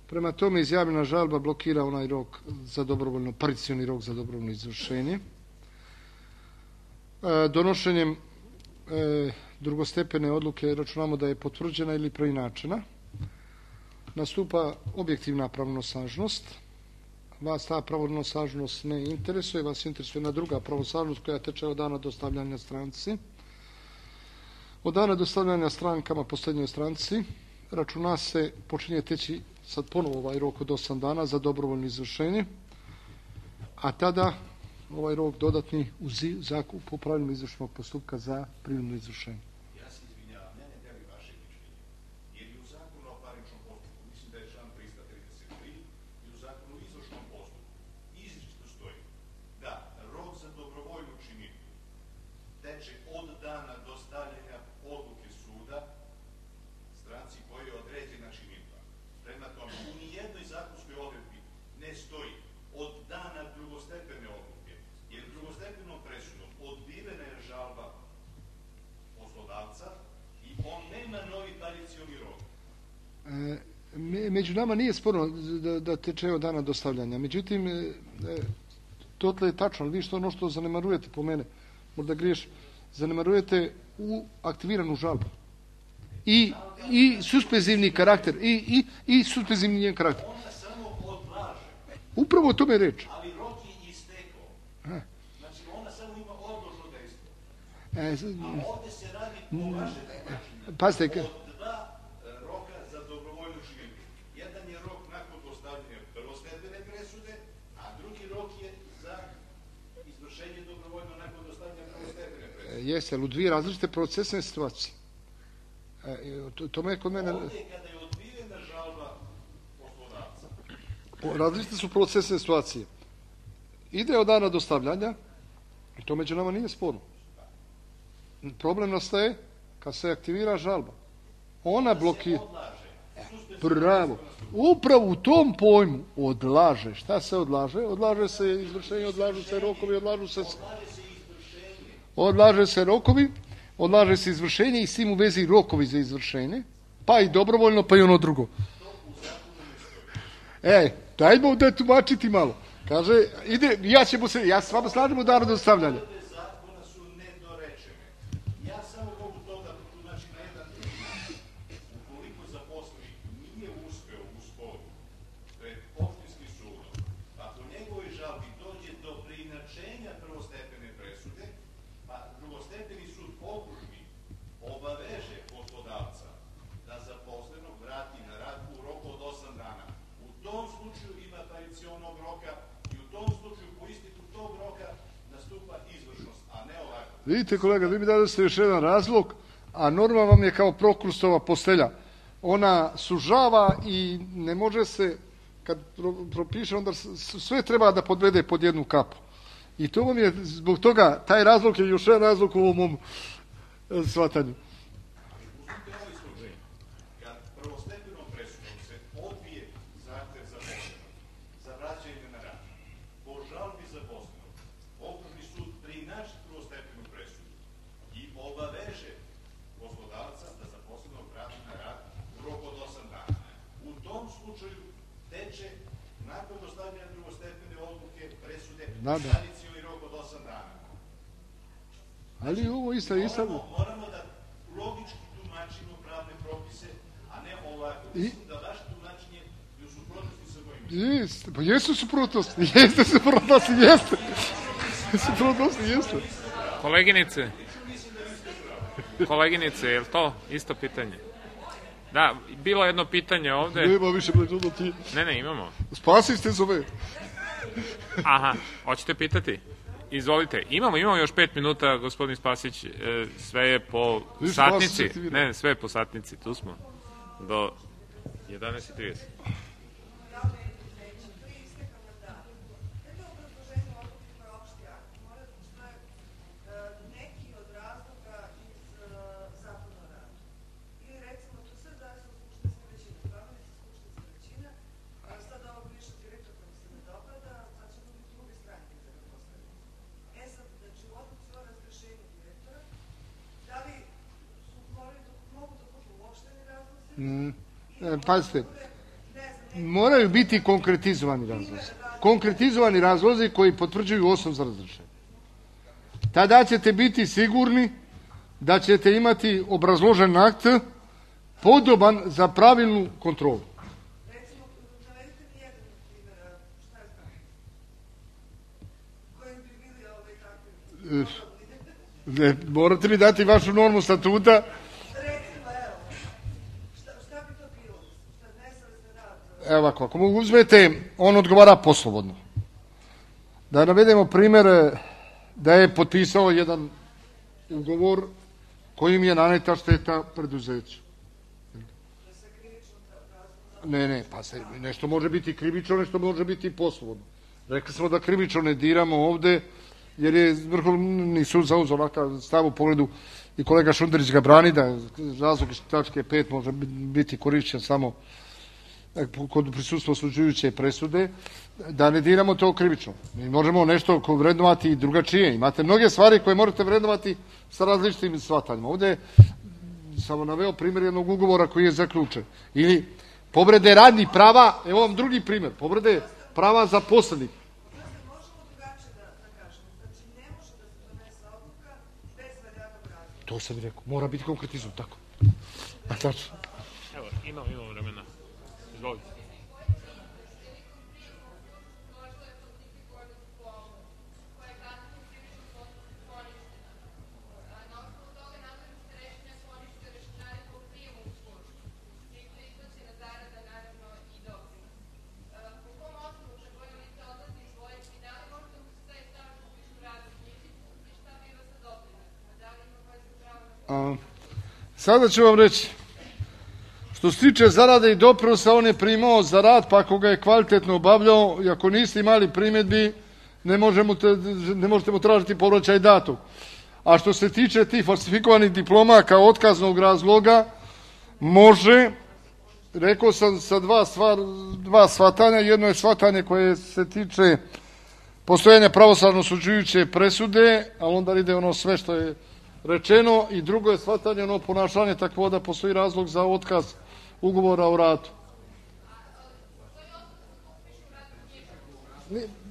[SPEAKER 2] Prema tome izjavljena žalba blokira onaj rok za dobrovoljno, parcijalni rok za dobrovoljno izvršenje. Donošenjem drugostepene odluke računamo da je potvrđena ili preinačena. Nastupa objektivna pravnosnažnost. Vas ta pravnosnažnost ne interesuje, vas interesuje jedna druga pravnosnažnost koja teče od dana dostavljanja stranci. Od dana dostavljanja strankama posljednjoj stranci računa se, počinje teći sad ponovo ovaj rok od 8 dana za dobrovoljno izvršenje, a tada ovaj rok dodatni u zakup po pravilnom izvršnog postupka za prinudno izvršenje.
[SPEAKER 5] Ja se izvinjavam, ja ne delim vaše mišljenje, jer i u zakonu o parničnom postupku, mislim da je član 333, i u zakonu o izvršnom postupku izričito stoji da rok za dobrovoljnu činidbu teče od dana dostavljanja odluke suda stranci koji je određena činidba. Prema tome, u nijednoj zakonskoj odredbi ne stoji od dana drugostepene odluke, jer drugostepenom presudom odbivena je žalba poslodavca i on nema novi parcijalni rok.
[SPEAKER 2] Među nama nije sporno da teče od dana dostavljanja. Međutim, to je tačno, ali vi što ono što zanemarujete po mene, možda griješ, zanemarujete u aktiviranu žalbu. I suspenzivni karakter, i suspenzivni njen karakter.
[SPEAKER 5] Ona samo odlaže.
[SPEAKER 2] Upravo o tome je reč.
[SPEAKER 5] Ali rok je istekao. Znači, ona samo ima odložno dejstvo. A ovdje se radi po vašem načinu.
[SPEAKER 2] Pazite,
[SPEAKER 5] Od dva roka za dobrovoljnu činidbu. Jedan je rok nakon dostavljanja prvostepene presude, a drugi rok je
[SPEAKER 2] Jeste, ali u dvije različite procesne situacije. To je kod mene...
[SPEAKER 5] Ovdje kada je odbijena žalba poslodavca.
[SPEAKER 2] Različite su procesne situacije. Ide od dana dostavljanja, i to među nama nije sporno. Problem nastaje kad se aktivira žalba. Ona blokira. Bravo. Upravo u tom pojmu odlaže. Šta se odlaže? Odlaže se izvršenje, odlažu se rokovi, odlaže se izvršenje i s tim u vezi rokovi za izvršenje, pa i dobrovoljno, pa i ono drugo. Dajmo da tumačiti malo. Kaže, ja se s vama slažem u danu dostavljanja.
[SPEAKER 5] Zakona su nedorečene. Ja samo mogu to da protumačim na jedan način. Ukoliko zaposlenik nije uspeo u sporu pred opštinskim sudom, pa po njegovoj žalbi dođe do preinačenja prvostepene presude, pa drugostepeni sud okružni obaveže poslodavca da zaposlenog vrati na rad u roku od 8 dana. U tom slučaju ima tradicionalnog roka i u tom slučaju po isteku tog roka nastupa izvršnost, a ne ovako.
[SPEAKER 2] Vidite kolega, vi mi dadete još jedan razlog, a norma vam je kao Prokrustova postelja. Ona sužava i ne može se, kad propiše, onda sve treba da podvede pod jednu kapu. I to vam je, zbog toga, taj razlog je još jedan razlog u ovom mom shvatanju.
[SPEAKER 5] Uzmite ovaj slučaj, kad prvostepenom presudom se odbije zahtev zaposlenog za vraćanje na rad, po žalbi zaposlenog, okružni sud preinači prvostepenu presudu i obaveže poslodavca da zaposlenog vrati na rad u roku od 8 dana. U tom slučaju teče, nakon dostavljanja drugostepene odluke presude, tradicionalni rok od 8 dana.
[SPEAKER 2] Ali ovo isto...
[SPEAKER 5] Moramo da logički tumačimo pravne propise, a ne ovako. Mislim da vaše tumačenje je u suprotnosti sa mojim.
[SPEAKER 2] Jeste, pa jesu suprotnosti, jeste.
[SPEAKER 1] Koleginice, je li to isto pitanje? Da, bilo jedno pitanje ovde.
[SPEAKER 2] Nema više pređudo ti.
[SPEAKER 1] Ne, imamo.
[SPEAKER 2] Spasiste zove.
[SPEAKER 1] Aha, hoćete pitati? Izvolite. Imamo još 5 minuta, gospodin Spasić, sve je po satnici. Ne, sve je po satnici, tu smo. Do 11:30.
[SPEAKER 2] Pazite, moraju biti konkretizovani razlozi koji potvrđuju osnov za razrješenje. Tada ćete biti sigurni da ćete imati obrazložen akt podoban za pravilnu kontrolu.
[SPEAKER 3] Recimo, navedite mi jedan primjer, šta je znam, kojim bi bili takvi?
[SPEAKER 2] Morate mi dati vašu normu statuta. Evo ovako, ako mogu uzmete, on odgovara poslovodno. Da navedemo primjer da je potpisao jedan ugovor kojim je naneta šteta preduzeću. Ne, pa nešto može biti krivično, nešto može biti poslovodno. Rekli smo da krivično ne diramo ovde, jer je Vrhovni sud zauzeo ovakav stav u pogledu i kolega Šunderić ga brani, da razlog iz tačke 5 može biti korišćen samo kod prisustva osuđujuće presude, da ne diramo to krivično. Mi možemo nešto vrednovati i drugačije. Imate mnoge stvari koje možete vrednovati sa različitim shvatanjima. Ovde samo naveo primjer jednog ugovora koji je zaključen. Ili povrede radnih prava, evo vam drugi primjer, povrede prava zaposlenih.
[SPEAKER 3] Možemo drugačije da kažemo. Znači, ne može da se donese odluka bez valjanog razloga.
[SPEAKER 2] To sam rekao, mora biti konkretizam, tako. A tačno.
[SPEAKER 1] Evo, imamo vremena. Izvolite.
[SPEAKER 2] Sada ću vam reći. Što se tiče zarade i doprinosa, on je primao za rad, pa ako ga je kvalitetno obavljao i ako niste imali primjedbi, ne možete mu tražiti povraćaj datog. A što se tiče tih falsifikovanih diploma kao otkaznog razloga, može, rekao sam sa dva shvatanja. Jedno je shvatanje koje se tiče postojanja pravosnažno osuđujuće presude, ali onda ide ono sve što je rečeno, i drugo je shvatanje ono ponašanje takvo da postoji razlog za otkaz ugovora o radu.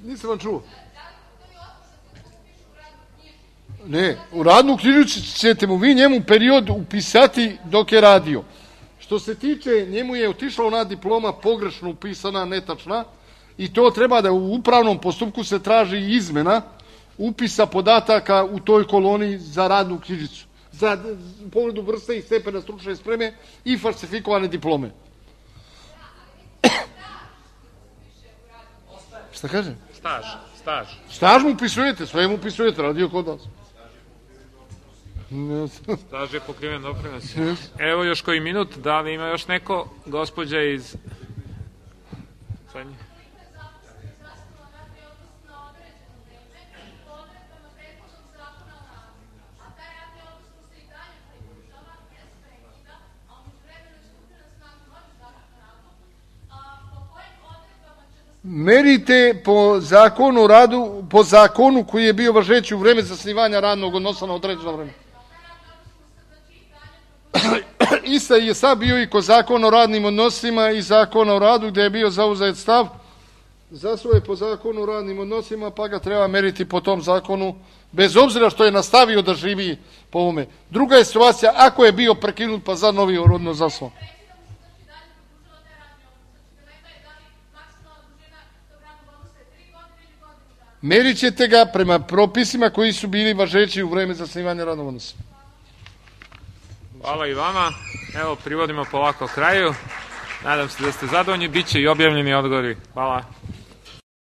[SPEAKER 2] Nisam vam čuo. Ne, u radnu knjižicu ćete mu vi njemu period upisati dok je radio. Što se tiče, njemu je otišla ona diploma pogrešno upisana, netačna, i to treba da u upravnom postupku se traži izmena upisa podataka u toj koloni za radnu knjižicu, za pogledu vrste i stepena stručne spreme i falsifikovane diplome. Šta kaže? Staž mu upisujete, sve mu upisujete, radio kod nas.
[SPEAKER 1] Staž je pokriven doprinos. Evo još koji minut, da li ima još neko, gospođa iz...
[SPEAKER 2] Merite po zakonu o radu, po zakonu koji je bio važeći u vreme zasnivanja radnog odnosa na određeno vreme. Ista je sad bio i kod zakona o radnim odnosima i zakona o radu, gdje je bio zauzet stav za svoje po zakonu o radnim odnosima, pa ga treba meriti po tom zakonu, bez obzira što je nastavio da živi po ovome. Druga je situacija, ako je bio prekinut pa za novi odnos zasnovan. Merit ćete ga prema propisima koji su bili važeći u vreme zasnivanja radnog odnosa.
[SPEAKER 1] Hvala i vama. Evo, privodimo polako kraju. Nadam se da ste zadovoljni. Biće i objavljeni odgovori. Hvala.